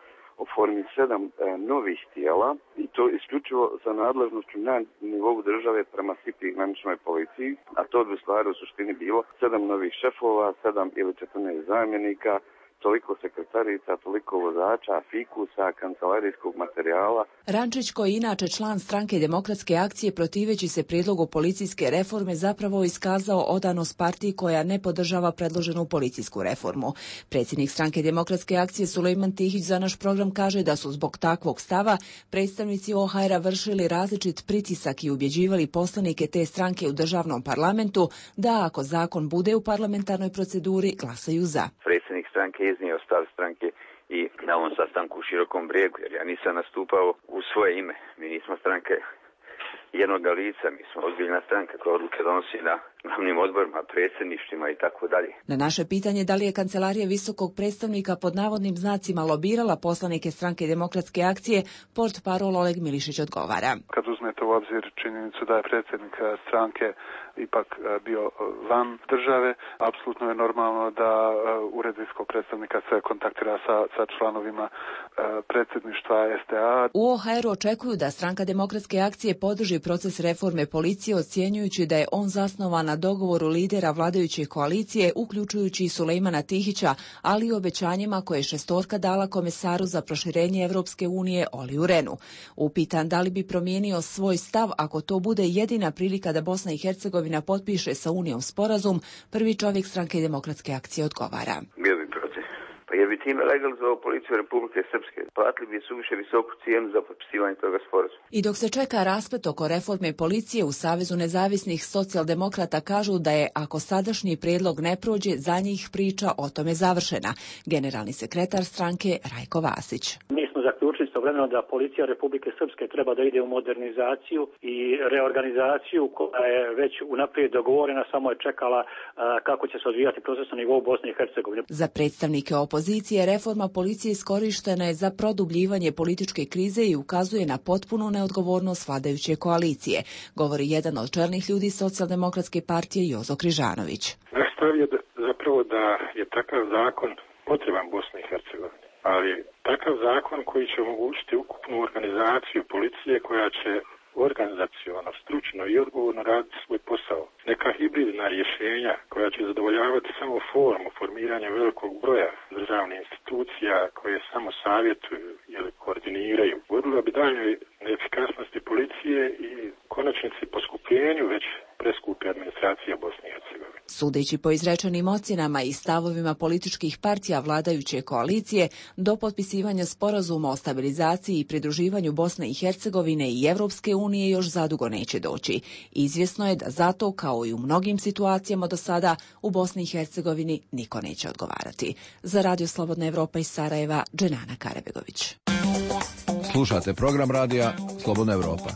oformi sedam e, novih tijela i to isključivo za nadležnošću na nivou države prema S I P I graničnoj policiji, a to bi u stvari u suštini bilo sedam novih šefova, sedam ili četrnaest zamjenika, toliko sekretarica, toliko vozača, fikusa, kancelarijskog materijala. Rančić, koji inače član stranke Demokratske akcije protiveći se prijedlogu policijske reforme, zapravo iskazao odanost partiji koja ne podržava predloženu policijsku reformu. Predsjednik stranke Demokratske akcije Sulejman Tihić za naš program kaže da su zbog takvog stava predstavnici O H R-a vršili različit pritisak i ubjeđivali poslanike te stranke u državnom parlamentu da ako zakon bude u parlamentarnoj proceduri glasaju za. Predsjednik stranke iznio stav stranke i na ovom sastanku u Širokom Brijegu, jer ja nisam nastupao u svoje ime. Mi nismo stranke jednoga lica, mi smo ozbiljna stranka koja odluke donosi na glavnim odborima, predsjedništvima i tako dalje. Na naše pitanje da li je kancelarija visokog predstavnika pod navodnim znacima lobirala poslanike stranke Demokratske akcije, portparol Oleg Milišić odgovara. Kad uzmete u obzir činjenicu da je predsjednik stranke ipak bio van države, apsolutno je normalno da ured visokog predstavnika se kontaktira sa, sa članovima predsjedništva S D A. U O H R-u očekuju da stranka Demokratske akcije podrži proces reforme policije, ocjenjujući da je on zasnovan na na dogovoru lidera vladajuće koalicije, uključujući i Sulejmana Tihića, ali i obećanjima koje je šestorka dala komesaru za proširenje Evropske unije Oliju Renu. Upitan da li bi promijenio svoj stav ako to bude jedina prilika da Bosna i Hercegovina potpiše sa Unijom sporazum, prvi čovjek Stranke demokratske akcije odgovara. Bio bi protiv. Pa jer bi time legalizovao policiju Republike Srpske. Platili bi suviše visoku cijenu za potpisivanje toga sporazuma. I dok se čeka rasplet oko reforme policije, u Savezu nezavisnih socijaldemokrata kažu da je, ako sadašnji prijedlog ne prođe, za njih priča o tome završena. Generalni sekretar stranke Rajko Vasić. Mi smo zaključili istovremeno da policija Republike Srpske treba da ide u modernizaciju i reorganizaciju koja je već unaprijed dogovorena, samo je čekala a, kako će se odvijati proces na nivou Bosne i Hercegovine. Za predstavnike opozicije reforma policije iskorištena je za produbljivanje političke krize i ukazuje na potpunu neodgovornost vladajuće koalicije, govori jedan od čelnih ljudi Socijaldemokratske partije Jozo Križanović. Naš stav je da, zapravo da je takav zakon potreban Bosni i Hercegovini, ali takav zakon koji će omogućiti ukupnu organizaciju policije koja će organizaciono, stručno i odgovorno raditi svoj posao. Neka hibridna rješenja koja će zadovoljavati samo formu formiranja velikog broja državnih institucija koje samo savjetuju ili koordiniraju, vodila bi daljnjoj neefikasnosti policije i konačnici poskupljenju već preskupe administracije Bosne i Hercegovine. Sudeći po izrečenim ocjenama i stavovima političkih partija vladajuće koalicije, do potpisivanja sporazuma o stabilizaciji i pridruživanju Bosne i Hercegovine i Evropske unije još zadugo neće doći. Izvjesno je da zato, kao i u mnogim situacijama do sada, u Bosni i Hercegovini niko neće odgovarati. Za Radio Slobodna Evropa iz Sarajeva, Dženana Karabegović. Slušate program radija Slobodna Evropa.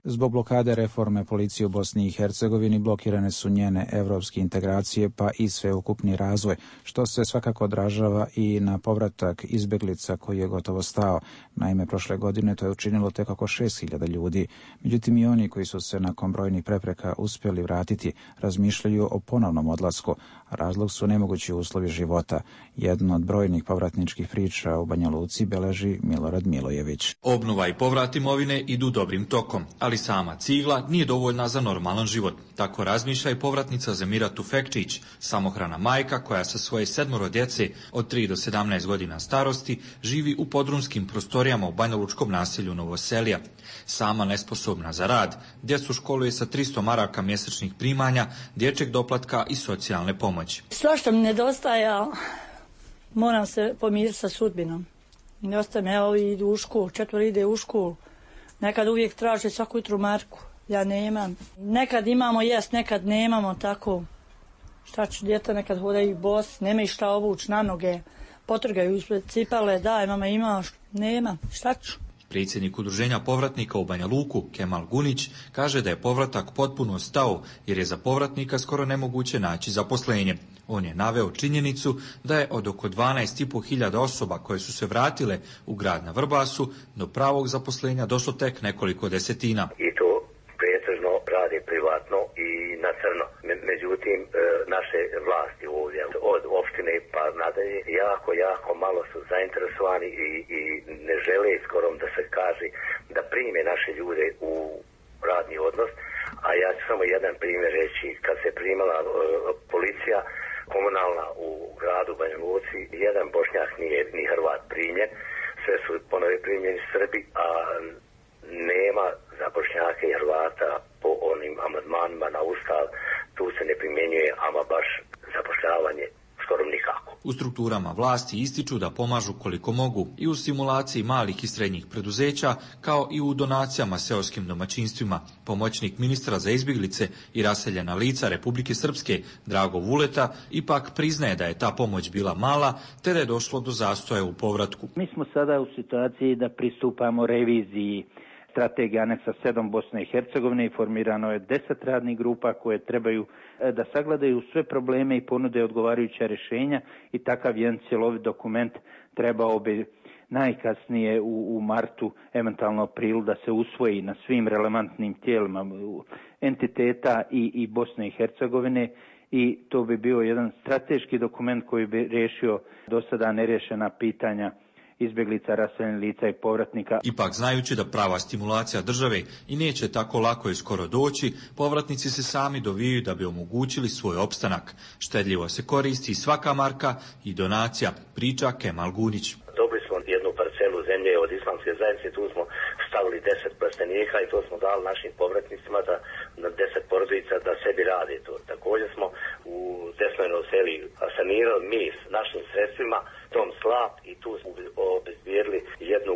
Zbog blokade reforme policije u Bosni i Hercegovini blokirane su njene evropske integracije pa i sveukupni razvoj, što se svakako odražava i na povratak izbjeglica koji je gotovo stao. Naime, prošle godine to je učinilo tek oko šest hiljada ljudi. Međutim, i oni koji su se nakon brojnih prepreka uspjeli vratiti razmišljaju o ponovnom odlasku. Razlog su nemogući uslovi života. Jedno od brojnih povratničkih priča u Banja Luci beleži Milorad Milojević. Obnova i povrat imovine idu dobrim tokom, ali sama cigla nije dovoljna za normalan život. Tako razmišlja i povratnica Zemira Tufekčić, samohrana majka koja sa svoje sedmoro djece od tri do sedamnaest godina starosti živi u podrumskim prostorijama u banjalučkom naselju Novoselija. Sama nesposobna za rad, djecu školuje sa tristo maraka mjesečnih primanja, dječjeg doplatka i socijalne pomoći. Svašta mi nedostaje, moram se pomiriti sa sudbinom. Nedostaje me, evo idu u školu, četvor ide u školu. Nekad uvijek traže svaku jutru marku, ja nemam. Nekad imamo jest, nekad nemamo, tako. Šta ću, djeta nekad hodaju bos, nema i šta obući na noge, potrgaju ispred cipale, daj mama imaš, nema, šta ću. Predsjednik udruženja povratnika u Banja Luku, Kemal Gunić, kaže da je povratak potpuno stao jer je za povratnika skoro nemoguće naći zaposlenje. On je naveo činjenicu da je od oko dvanaest i pol hiljada osoba koje su se vratile u grad na Vrbasu do pravog zaposlenja došlo tek nekoliko desetina. I to pretežno radi privatno i na crno. Međutim, naše vlasti ovdje od opštine pa nadalje jako, jako malo su zainteresovani i, i ne žele skoro da se kaže da prime naše ljude u radni odnos. A ja ću samo jedan primjer reći. Kad se primala uh, policija komunalna u gradu Banja Luci, jedan Bošnjak nije ni Hrvat primjen, sve su ponovi primjeni Srbi, a nema za Bošnjake i Hrvata po onim amandmanima na Ustav, tu se ne primjenjuje ama baš zapošljavanje skoro nikako. U strukturama vlasti ističu da pomažu koliko mogu i u stimulaciji malih i srednjih preduzeća, kao i u donacijama seoskim domaćinstvima. Pomoćnik ministra za izbjeglice i raseljena lica Republike Srpske, Drago Vuleta, ipak priznaje da je ta pomoć bila mala, te da je došlo do zastoja u povratku. Mi smo sada u situaciji da pristupamo reviziji strategije aneksa sedam Bosne i Hercegovine i formirano je deset radnih grupa koje trebaju da sagledaju sve probleme i ponude odgovarajuća rješenja i takav jedan cjelovit dokument trebao bi najkasnije u, u martu, eventualno aprilu, da se usvoji na svim relevantnim tijelima entiteta i, i Bosne i Hercegovine i to bi bio jedan strateški dokument koji bi riješio do sada nerješena pitanja izbjeglica, raseljenih lica i povratnika. Ipak, znajući da prava stimulacija države i neće tako lako i skoro doći, povratnici se sami dovijaju da bi omogućili svoj opstanak. Štedljivo se koristi svaka marka i donacija, priča Kemal Gunić. Dobili smo jednu parcelu zemlje od islamske zajednice, tu smo stavili deset plastenika i to smo dali našim povratnicima da na deset porodica da sebi rade to. Također smo u Desnojnoj seli sanirali mi s našim sredstvima tom slap i tu smo obezbijedili jednu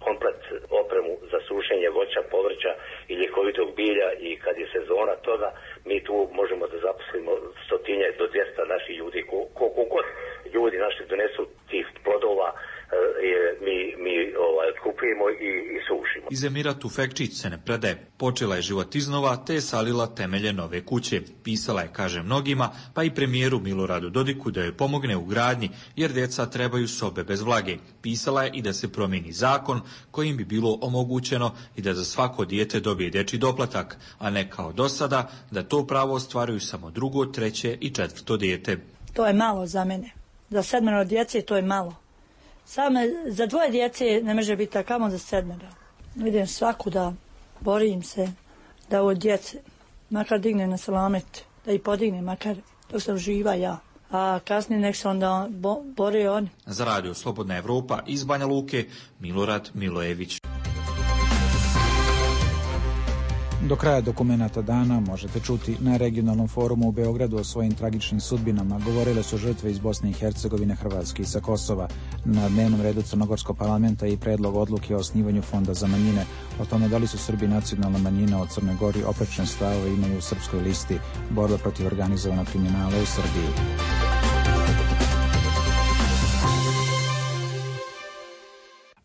komplet opremu za sušenje voća, povrća i ljekovitog bilja i kad je sezona toga mi tu možemo da zaposlimo stotinjak do dvjesto naših ljudi. Koliko god ljudi naši donesu tih plodova mi, mi ovaj, kupujemo i, i sušimo. Iz Emira Tufekčić se ne predaje. Počela je život iznova te je salila temelje nove kuće. Pisala je, kaže mnogima, pa i premijeru Miloradu Dodiku da joj pomogne u gradnji, jer djeca trebaju sobe bez vlage. Pisala je i da se promijeni zakon kojim bi bilo omogućeno i da za svako dijete dobije dječji doplatak, a ne kao do sada da to pravo ostvaruju samo drugo, treće i četvrto dijete. To je malo za mene. Za sedmero djece to je malo. Samo za dvoje djece ne može biti takamo za sedmero. Idem svakuda, borim se da od djece makar digne na selamet, da ih podigne makar dok sam živa ja. A kasnije nek se onda bo, bore oni. Za radio Slobodna Evropa iz Banja Luke, Milorad Milojević. Do kraja dokumenata dana možete čuti na regionalnom forumu u Beogradu o svojim tragičnim sudbinama. Govorile su žrtve iz Bosne i Hercegovine, Hrvatske i sa Kosova. Na dnevnom redu Crnogorskog parlamenta i predlog odluke o osnivanju fonda za manjine. O tome da li su Srbi nacionalna manjina od Crne Gori oprečne stavove imaju u srpskoj listi. Borba protiv organizovanog kriminala u Srbiji.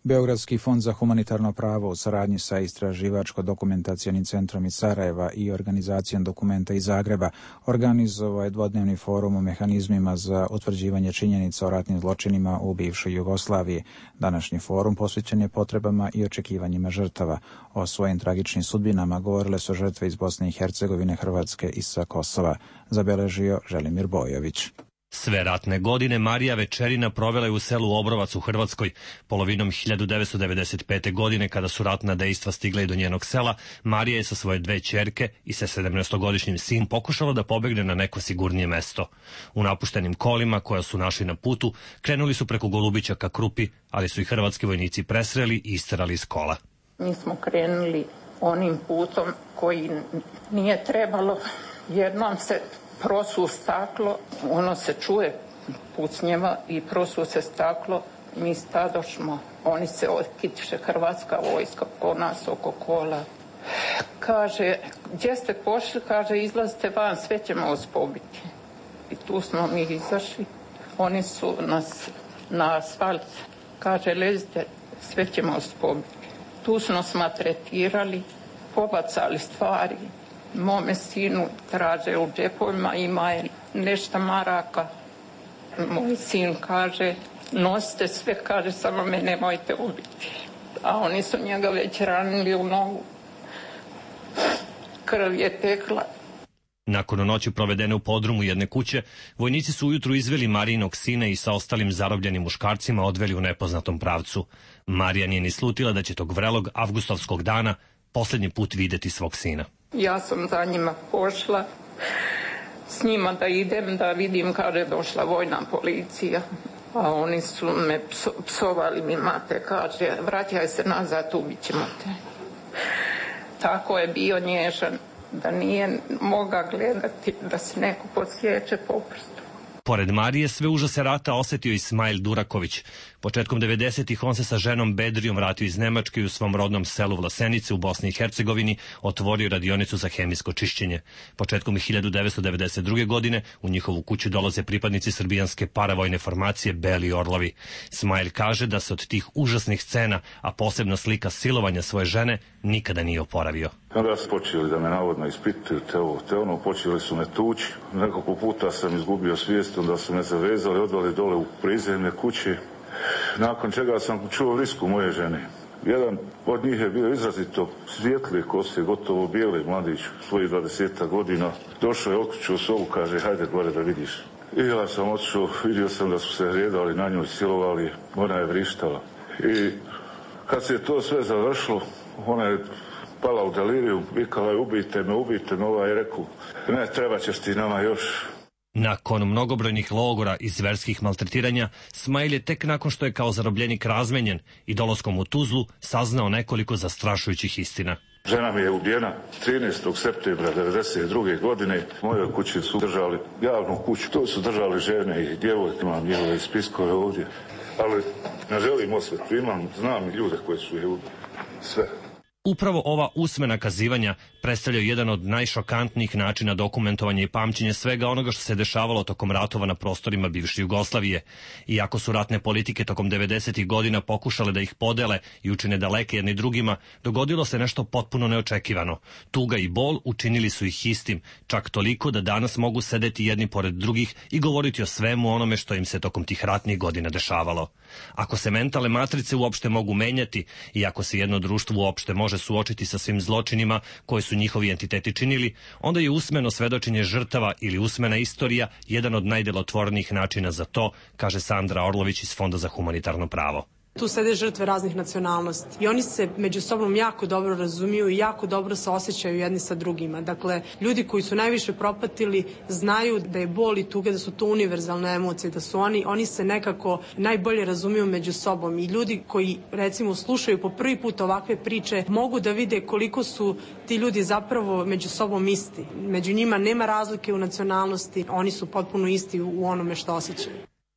Beogradski fond za humanitarno pravo u saradnji sa Istraživačko-dokumentacionim centrom iz Sarajeva i organizacijom Dokumenta iz Zagreba organizovao je dvodnevni forum o mehanizmima za utvrđivanje činjenica o ratnim zločinima u bivšoj Jugoslaviji. Današnji forum posvećen je potrebama i očekivanjima žrtava. O svojim tragičnim sudbinama govorile su žrtve iz Bosne i Hercegovine, Hrvatske i sa Kosova, zabeležio Želimir Bojović. Sve ratne godine Marija Večerina provela je u selu Obrovac u Hrvatskoj. Polovinom hiljadu devetsto devedeset pete. godine, kada su ratna dejstva stigla i do njenog sela, Marija je sa svoje dve ćerke i sa sedamnaestogodišnjim sin pokušala da pobegne na neko sigurnije mesto. U napuštenim kolima koja su našli na putu, krenuli su preko Golubića ka Krupi, ali su i hrvatski vojnici presreli i isterali iz kola. Mi smo krenuli onim putom koji nije trebalo, jer nam se prosu staklo, ono se čuje pucnjeva i prosu se staklo, mi stadošmo, oni se otkitiše, hrvatska vojska po nas oko kola. Kaže, gdje ste pošli? Kaže, izlazite van, sve ćemo vas pobiti. I tu smo mi izašli, oni su nas na asfalt, kaže, lezite, sve ćemo vas pobiti. Tu su nas maltretirali, pobacali stvari. Mome sinu traže u džepovima, ima je nešto maraka. Moj sin kaže, nosite sve, kaže, samo me nemojte ubiti. A oni su njega već ranili u nogu. Krv je tekla. Nakon noći provedene u podrumu jedne kuće, vojnici su ujutru izveli Marijinog sina i sa ostalim zarobljenim muškarcima odveli u nepoznatom pravcu. Marija nije ni slutila da će tog vrelog avgustovskog dana posljednji put vidjeti svog sina. Ja sam za njima pošla s njima da idem, da vidim kada je došla vojna policija. A oni su me pso, psovali mi, mate, kaže, vraćaj se nazad, ubit ćemo te. Tako je bio nježan, da nije moga gledati da se neko podsjeće po prstu. Pored Marije sve užase rata osjetio i Smajl Duraković. Početkom devedesetih on se sa ženom Bedrijom vratio iz Nemačke i u svom rodnom selu Vlasenice u Bosni i Hercegovini otvorio radionicu za hemijsko čišćenje. Početkom hiljadu devetsto devedeset druge. godine u njihovu kuću dolaze pripadnici srbijanske paravojne formacije Beli Orlovi. Smajl kaže da se od tih užasnih scena, a posebno slika silovanja svoje žene, nikada nije oporavio. Kada su počeli da me navodno ispituju te ovo, te ono, počeli su me tući. Nekoliko puta sam izgubio svijest, onda su me zavezali, odveli dole u prizemne kuće. Nakon čega sam čuo vrisku moje žene. Jedan od njih je bio izrazito svijetli kose, gotovo bijeli mladić, svojih dvadeset godina. Došao je, okrećuo sobu, kaže, hajde gore da vidiš. I ja sam otišao, vidio sam da su se redali na njoj, silovali, ona je vrištala. I kad se to sve završilo, ona je pala u deliriju, vikala je ubijte me, ubijte me, ovaj je rekao, ne, treba ćeš ti nama još. Nakon mnogobrojnih logora i zverskih maltretiranja, Smajl je tek nakon što je kao zarobljenik razmenjen i dolaskom u Tuzlu saznao nekoliko zastrašujućih istina. Žena mi je ubijena trinaestog septembra devedeset druge godine. Moje kući su držali javnu kuću. To su držali žene i djevojke. Imam njihove spiskove ovdje. Ali ne želim osvetu. Imam, znam ljude koji su je ubili. Sve. Upravo ova usmena kazivanja predstavljaju jedan od najšokantnijih načina dokumentovanja i pamćenja svega onoga što se dešavalo tokom ratova na prostorima bivše Jugoslavije. Iako su ratne politike tokom devedesetih godina pokušale da ih podele i učine daleke jedni drugima, dogodilo se nešto potpuno neočekivano. Tuga i bol učinili su ih istim, čak toliko da danas mogu sedeti jedni pored drugih i govoriti o svemu onome što im se tokom tih ratnih godina dešavalo. Ako se mentalne matrice uopšte mogu menjati i ako se jedno društvo uopšte može suočiti sa svim zločinima koje su njihovi entiteti činili, onda je usmeno svedočenje žrtava ili usmena istorija jedan od najdelotvornijih načina za to, kaže Sandra Orlović iz Fonda za humanitarno pravo. Tu sede žrtve raznih nacionalnosti i oni se među sobom jako dobro razumiju i jako dobro se osjećaju jedni sa drugima. Dakle, ljudi koji su najviše propatili znaju da je bol i tuga, da su to univerzalne emocije, da su oni, oni se nekako najbolje razumiju među sobom i ljudi koji recimo slušaju po prvi put ovakve priče mogu da vide koliko su ti ljudi zapravo među sobom isti. Među njima nema razlike u nacionalnosti, oni su potpuno isti u onome što osjećaju.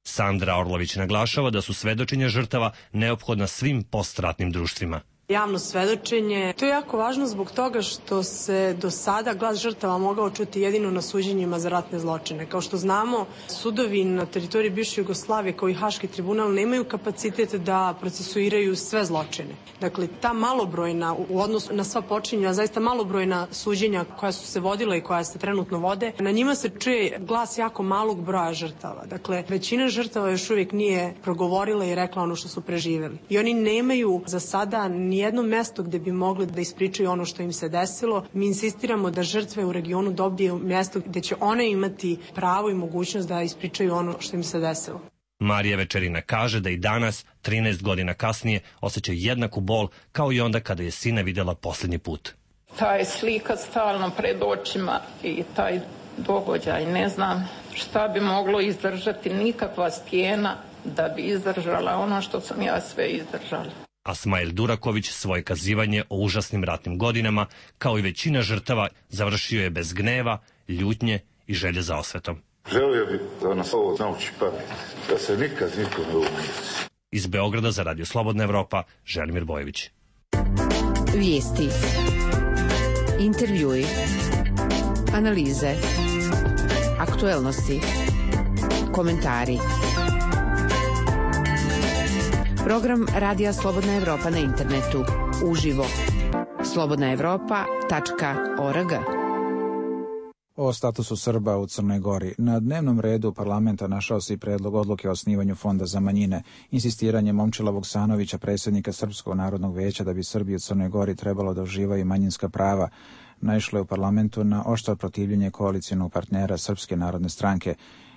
Sandra Orlović naglašava da su svedočenja žrtava neophodna svim postratnim društvima. Javno svedočenje, to je jako važno zbog toga što se do sada glas žrtava mogao čuti jedino na suđenjima za ratne zločine. Kao što znamo, sudovi na teritoriji bivše Jugoslavije kao i Haški tribunal nemaju kapacitet da procesuiraju sve zločine. Dakle, ta malobrojna, u odnosu na sva počinja, zaista malobrojna suđenja koja su se vodila i koja se trenutno vode, na njima se čuje glas jako malog broja žrtava. Dakle, većina žrtava još uvijek nije progovorila i rekla ono što su preživeli. I oni nemaju za sada ni jedno mesto gde bi mogli da ispričaju ono što im se desilo. Mi insistiramo da žrtve u regionu dobiju mjesto gde će one imati pravo i mogućnost da ispričaju ono što im se desilo. Marija Večerina kaže da i danas, trinaest godina kasnije, osjeća jednaku bol kao i onda kada je sina videla posljednji put. Ta je slika stalno pred očima i taj događaj, ne znam šta bi moglo izdržati, nikakva stijena da bi izdržala ono što sam ja sve izdržala. A Smajl Duraković svoje kazivanje o užasnim ratnim godinama, kao i većina žrtava, završio je bez gneva, ljutnje i želje za osvetom. Želio bih da nas ovo nauči pamet, da se nikad niko ne umije. Iz Beograda za Radio Slobodna Evropa, Želimir Bojević. Vijesti, intervjui, analize, aktuelnosti, komentari. Program Radija Slobodna Evropa na internetu. Uživo. slobodna evropa tačka org. O statusu Srba u Crnoj Gori. Na dnevnom redu parlamenta našao se i predlog odluke o osnivanju Fonda za manjine. Insistiranje Momčila Vuksanovića, predsjednika Srpskog narodnog vijeća, da bi Srbi u Crnoj Gori trebalo da uživaju manjinska prava, naišlo je u parlamentu na oštro protivljenje koalicijonog partnera Srpske narodne stranke.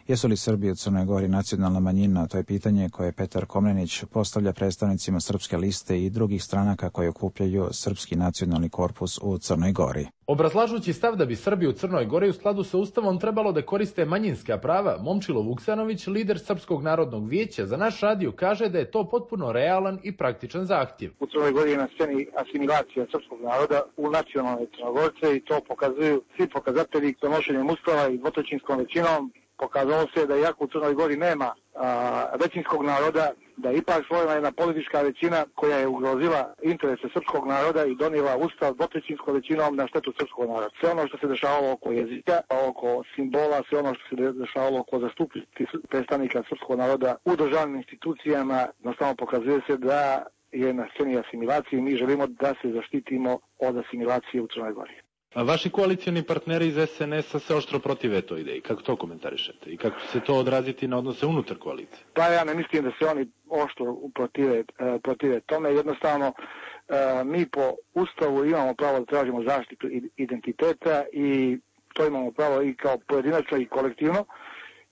Jesu li Srbi u Crnoj Gori nacionalna manjina? To je pitanje koje Petar Komnenić postavlja predstavnicima Srpske liste i drugih stranaka koje okupljaju Srpski nacionalni korpus u Crnoj Gori. Obrazlažući stav da bi Srbi u Crnoj Gori u skladu sa Ustavom trebalo da koriste manjinska prava, Momčilo Vuksanović, lider Srpskog narodnog vijeća, za naš radio kaže da je to potpuno realan i praktičan zahtjev. U Crnoj Gori je na sceni asimilacija srpskog naroda u nacionalne Crnogorce i to pokazuju svi pokazatelji donošenjem Ustava i dvotrećinskom većinom. Pokazalo se da iako u Crnoj Gori nema a, većinskog naroda, da je ipak stvorena jedna politička većina koja je ugrozila interese srpskog naroda i donijela Ustav dvotrećinskom većinom na štetu srpskog naroda. Sve ono što se dešavalo oko jezika, oko simbola, sve ono što se dešavalo oko zastupiti predstavnika srpskog naroda u državnim institucijama, jednostavno pokazuje se da je na sceni asimilacije i mi želimo da se zaštitimo od asimilacije u Crnoj Gori. A vaši koalicioni partneri iz es en es a se oštro protive toj ideji. Kako to komentarišete? I kako će se to odraziti na odnose unutar koalicije? Pa ja ne mislim da se oni oštro protive, protive tome. Jednostavno, mi po Ustavu imamo pravo da tražimo zaštitu identiteta i to imamo pravo i kao pojedinačno i kolektivno.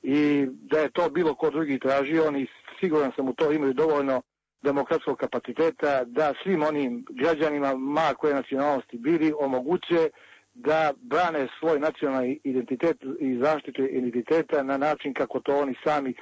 I da je to bilo ko drugi tražio, oni siguran sam u to imaju dovoljno demokratskog kapaciteta da svim onim građanima, ma koje nacionalnosti bili, omoguće da brane svoj nacionalni identitet i zaštitu identiteta na način kako to oni sami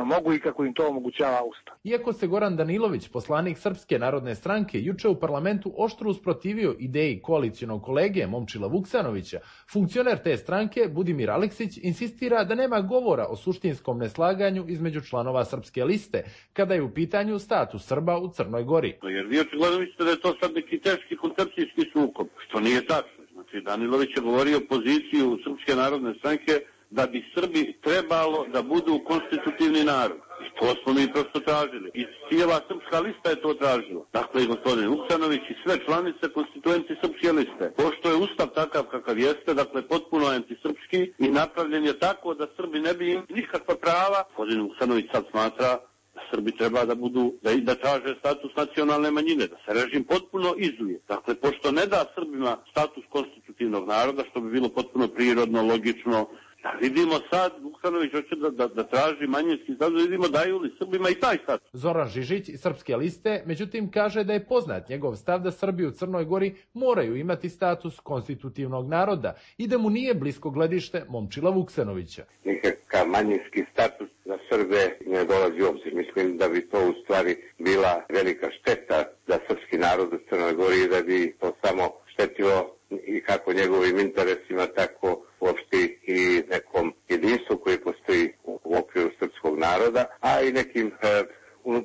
mogu i kako im to omogućava Ustav. Iako se Goran Danilović, poslanik Srpske narodne stranke, juče u parlamentu oštro usprotivio ideji koalicionog kolege Momčila Vuksanovića, funkcioner te stranke, Budimir Aleksić, insistira da nema govora o suštinskom neslaganju između članova Srpske liste, kada je u pitanju status Srba u Crnoj Gori. Jer vi očigledno mislite da je to sad neki teški koncepcijski sukob, što nije tačno. Znači, Danilović je govorio poziciju Srpske narodne stranke da bi Srbi trebalo da budu konstitutivni narod. I to smo mi prosto tražili. I cijela Srpska lista je to tražila. Dakle, i gospodin Vuksanović i sve članice konstituenti Srpske liste. Pošto je Ustav takav kakav jeste, dakle, potpuno antisrpski i napravljen je tako da Srbi ne bi imali nikakva prava, gospodin Vuksanović sad smatra da Srbi treba da budu, da, da traže status nacionalne manjine, da se režim potpuno izuje. Dakle, pošto ne da Srbima status konstitutivnog naroda, što bi bilo potpuno prirodno, logično, da vidimo sad, Vuksanović hoće da, da, da traži manjinski status, da vidimo daju li Srbima i taj status. Zoran Žižić iz Srpske liste, međutim, kaže da je poznat njegov stav da Srbi u Crnoj Gori moraju imati status konstitutivnog naroda i da mu nije blisko gledište Momčila Vuksanovića. Nikakav manjinski status za Srbe ne dolazi u obzir. Mislim da bi to u stvari bila velika šteta za srpski narod u Crnoj Gori i da bi to samo štetilo i kako njegovim interesima, tako uopšte i nekom jedinstvu koji postoji u okviru srpskog naroda, a i nekim e,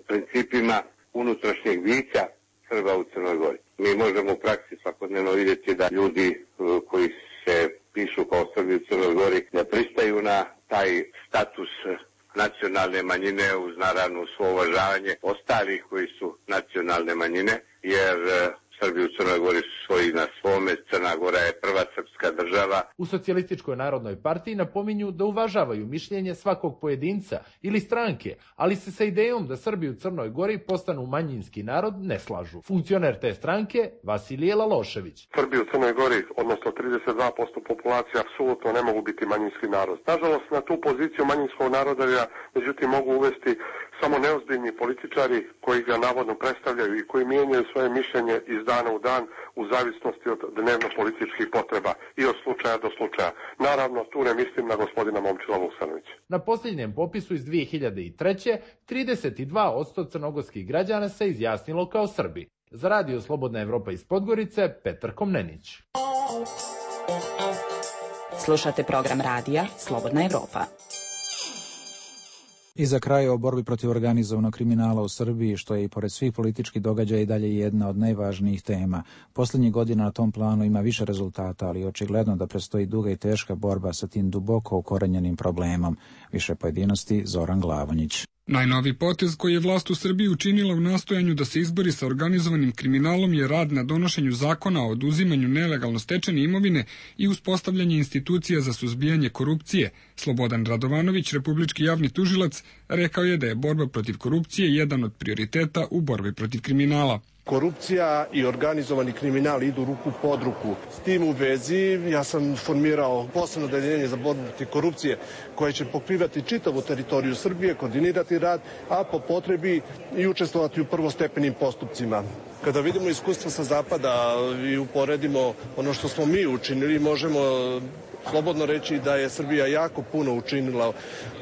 principima unutrašnjeg bića Srba u Crnoj Gori. Mi možemo u praksi svakodnevno vidjeti da ljudi e, koji se pišu kao Srbi u Crnoj Gori ne pristaju na taj status nacionalne manjine uz naravno svo uvažavanje ostalih koji su nacionalne manjine, jer e, Srbi u Crnoj Gori su svoji na svome, Crna Gora je prva srpska država. U Socijalističkoj narodnoj partiji napominju da uvažavaju mišljenje svakog pojedinca ili stranke, ali se sa idejom da Srbi u Crnoj Gori postanu manjinski narod ne slažu. Funkcioner te stranke, Vasilije Lalošević. Srbi u Crnoj Gori, odnosno trideset dva posto populacije, apsolutno ne mogu biti manjinski narod. Nažalost, na tu poziciju manjinskog naroda, međutim, mogu uvesti samo neozbiljni političari koji ga navodno predstavljaju i koji mijenjaju svoje mišljenje iz dana u dan u zavisnosti od dnevno-političkih potreba i od slučaja do slučaja. Naravno, tu ne mislim na gospodina Momčila Vuksanovića. Na posljednjem popisu iz dvije hiljade treće. trideset dva posto crnogorskih građana se izjasnilo kao Srbi. Za Radio Slobodna Evropa iz Podgorice, Petar Komnenić. Slušate program radija Slobodna Evropa. I za kraj o borbi protiv organizovanog kriminala u Srbiji, što je i pored svih političkih događaja i dalje jedna od najvažnijih tema. Posljednjih godina na tom planu ima više rezultata, ali očigledno da predstoji duga i teška borba sa tim duboko ukorenjenim problemom. Više pojedinosti, Zoran Glavonjić. Najnovi potez koji je vlast u Srbiji učinila u nastojanju da se izbori sa organizovanim kriminalom je rad na donošenju zakona o oduzimanju nelegalno stečene imovine i uspostavljanje institucija za suzbijanje korupcije. Slobodan Radovanović, republički javni tužilac, rekao je da je borba protiv korupcije jedan od prioriteta u borbi protiv kriminala. Korupcija i organizovani kriminal idu ruku pod ruku. S tim u vezi ja sam formirao posebno odeljenje za borbu protiv korupcije koje će pokrivati čitavu teritoriju Srbije, koordinirati rad, a po potrebi i učestvovati u prvostepenim postupcima. Kada vidimo iskustva sa zapada i uporedimo ono što smo mi učinili, možemo slobodno reći da je Srbija jako puno učinila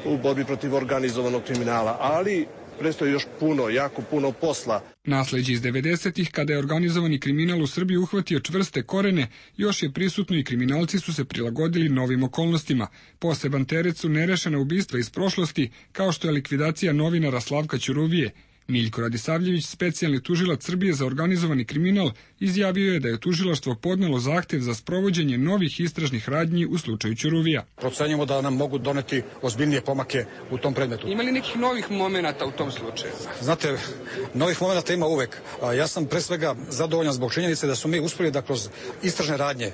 u borbi protiv organizovanog kriminala, ali predstoji još puno, jako puno posla. Nasleđe iz devedesetih, kada je organizovani kriminal u Srbiji uhvatio čvrste korene, još je prisutno i kriminalci su se prilagodili novim okolnostima. Poseban teret su nerešena ubistva iz prošlosti, kao što je likvidacija novinara Slavka Ćuruvije. Miljko Radisavljević, specijalni tužilac Srbije za organizovani kriminal, izjavio je da je tužilaštvo podnelo zahtev za sprovođenje novih istražnih radnji u slučaju Ćuruvija. Procenjujemo da nam mogu doneti ozbiljnije pomake u tom predmetu. Ima li nekih novih momenata u tom slučaju? Znate, novih momenata ima uvek. Ja sam pre svega zadovoljan zbog činjenice da su mi uspjeli da kroz istražne radnje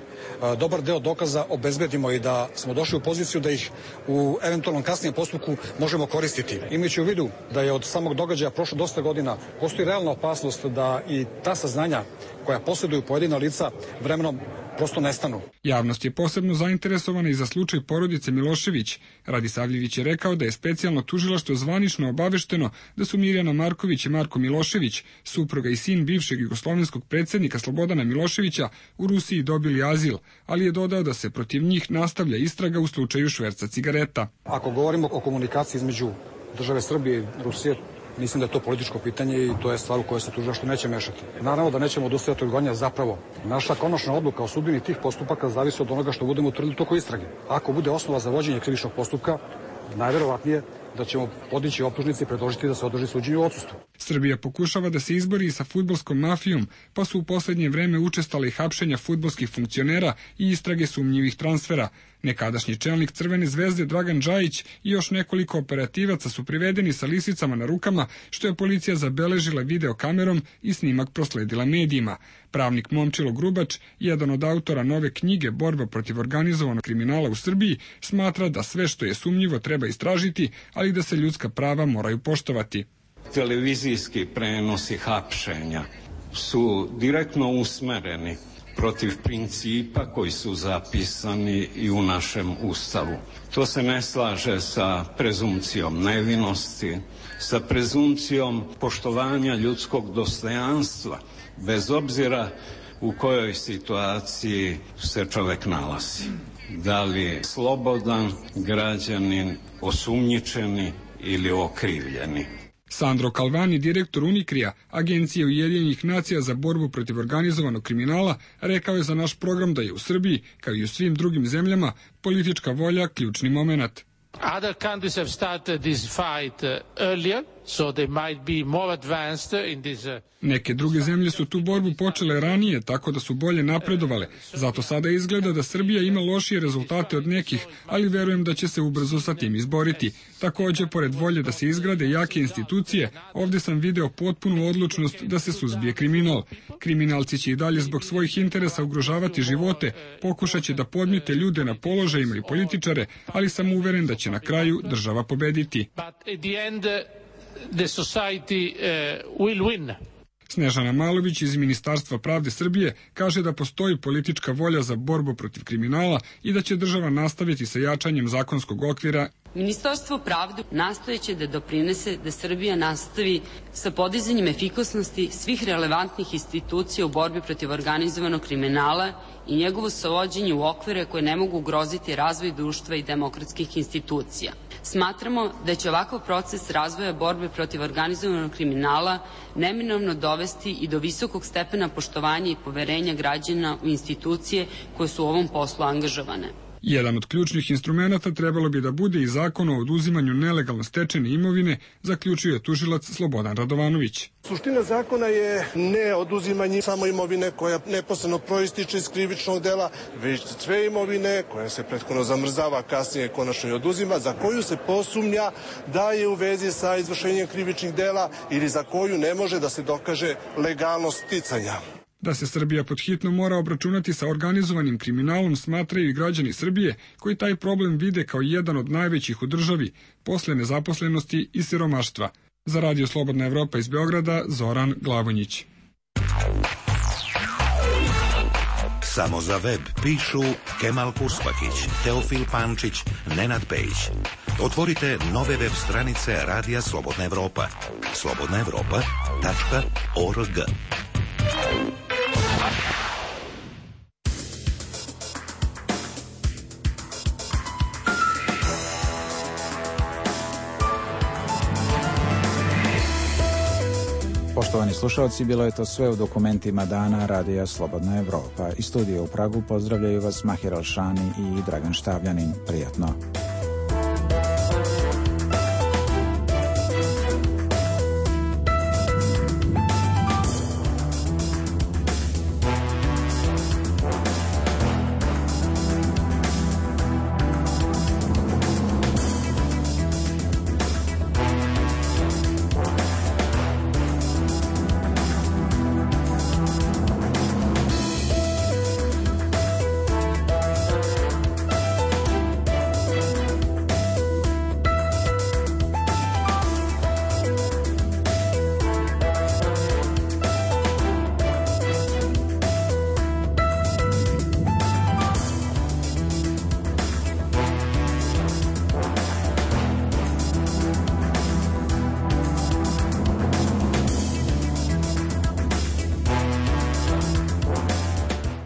dobar deo dokaza obezbedimo i da smo došli u poziciju da ih u eventualnom kasnijem postupku možemo koristiti. Imajući u vidu da je od samog događaja prošlo dosta godina, postoji realna opasnost da i ta saznanja koja posjeduju pojedina lica vremenom prosto nestanu. Javnost je posebno zainteresovana i za slučaj porodice Milošević. Radisavljević je rekao da je specijalno tužilaštvo zvanično obavešteno da su Mirjana Marković i Marko Milošević, supruga i sin bivšeg jugoslovenskog predsjednika Slobodana Miloševića, u Rusiji dobili azil, ali je dodao da se protiv njih nastavlja istraga u slučaju šverca cigareta. Ako govorimo o komunikaciji između države Srbije i Rusije, mislim da je to političko pitanje i to je stvar u kojoj se tužilaštvo neće mešati. Naravno da nećemo odustajati od gonjenja, zapravo. Naša konačna odluka o sudbini tih postupaka zavisi od onoga što budemo utvrdili u toku istrage. Ako bude osnova za vođenje krivičnog postupka, najverovatnije da ćemo podići optužnice i predložiti da se održi suđenje u odsustvu. Srbija pokušava da se izbori sa fudbalskom mafijom, pa su u posljednje vreme učestale i hapšenja fudbalskih funkcionera i istrage sumnjivih transfera. Nekadašnji čelnik Crvene zvezde Dragan Džajić i još nekoliko operativaca su privedeni sa lisicama na rukama, što je policija zabeležila videokamerom i snimak prosledila medijima. Pravnik Momčilo Grubač, jedan od autora nove knjige Borba protiv organizovanog kriminala u Srbiji, smatra da sve što je sumnjivo treba istražiti, ali da se ljudska prava moraju poštovati. Televizijski prenosi hapšenja su direktno usmereni protiv principa koji su zapisani i u našem Ustavu. To se ne slaže sa prezumcijom nevinosti, sa prezumcijom poštovanja ljudskog dostojanstva, bez obzira u kojoj situaciji se čovjek nalazi. Da li je slobodan građanin, osumnjičeni ili okrivljeni. Sandro Calvani, direktor Unikrija, Agencije Ujedinjenih nacija za borbu protiv organizovanog kriminala, rekao je za naš program da je u Srbiji, kao i u svim drugim zemljama, politička volja ključni moment. Other countries have started this fight earlier, so they might be more advanced in this. Neke druge zemlje su tu borbu počele ranije, tako da su bolje napredovale. Zato sada izgleda da Srbija ima lošije rezultate od nekih, ali verujem da će se ubrzo sa tim izboriti. Također, pored volje da se izgrade jake institucije, ovdje sam video potpunu odlučnost da se suzbije kriminal. Kriminalci će i dalje zbog svojih interesa ugrožavati živote, pokušat će da podmite ljude na položajima i političare, ali sam uveren da će na kraju država pobediti. The society uh, will win. Snežana Malović iz Ministarstva pravde Srbije kaže da postoji politička volja za borbu protiv kriminala i da će država nastaviti sa jačanjem zakonskog okvira. Ministarstvo pravde nastojeće da doprinese da Srbija nastavi sa podizanjem efikasnosti svih relevantnih institucija u borbi protiv organizovanog kriminala i njegovo savođenje u okvire koje ne mogu ugroziti razvoj društva i demokratskih institucija. Smatramo da će ovakav proces razvoja borbe protiv organizovanog kriminala neminovno dovesti i do visokog stepena poštovanja i poverenja građana u institucije koje su u ovom poslu angažovane. Jedan od ključnih instrumenata trebalo bi da bude i zakon o oduzimanju nelegalno stečene imovine, zaključio je tužilac Slobodan Radovanović. Suština zakona je ne oduzimanje samo imovine koja neposredno proističe iz krivičnog dela, već sve imovine koja se prethodno zamrzava, kasnije konačno i oduzima, za koju se posumnja da je u vezi sa izvršenjem krivičnih dela ili za koju ne može da se dokaže legalnost sticanja. Da se Srbija pod hitno mora obračunati sa organizovanim kriminalom smatraju i građani Srbije koji taj problem vide kao jedan od najvećih u državi, posle nezaposlenosti i siromaštva. Za Radio Slobodna Evropa iz Beograda, Zoran Glavonjić. Samo za web pišu Kemal Purspakić, Teofil Pančić, Nenad Pejić. Otvorite nove web stranice Radija Slobodna Evropa. slobodna evropa tačka org. Poštovani slušalci, bilo je to sve u dokumentima dana Radija Slobodna Evropa. Iz studija u Pragu pozdravljaju vas Mahir Alšani i Dragan Štavljanin. Prijatno.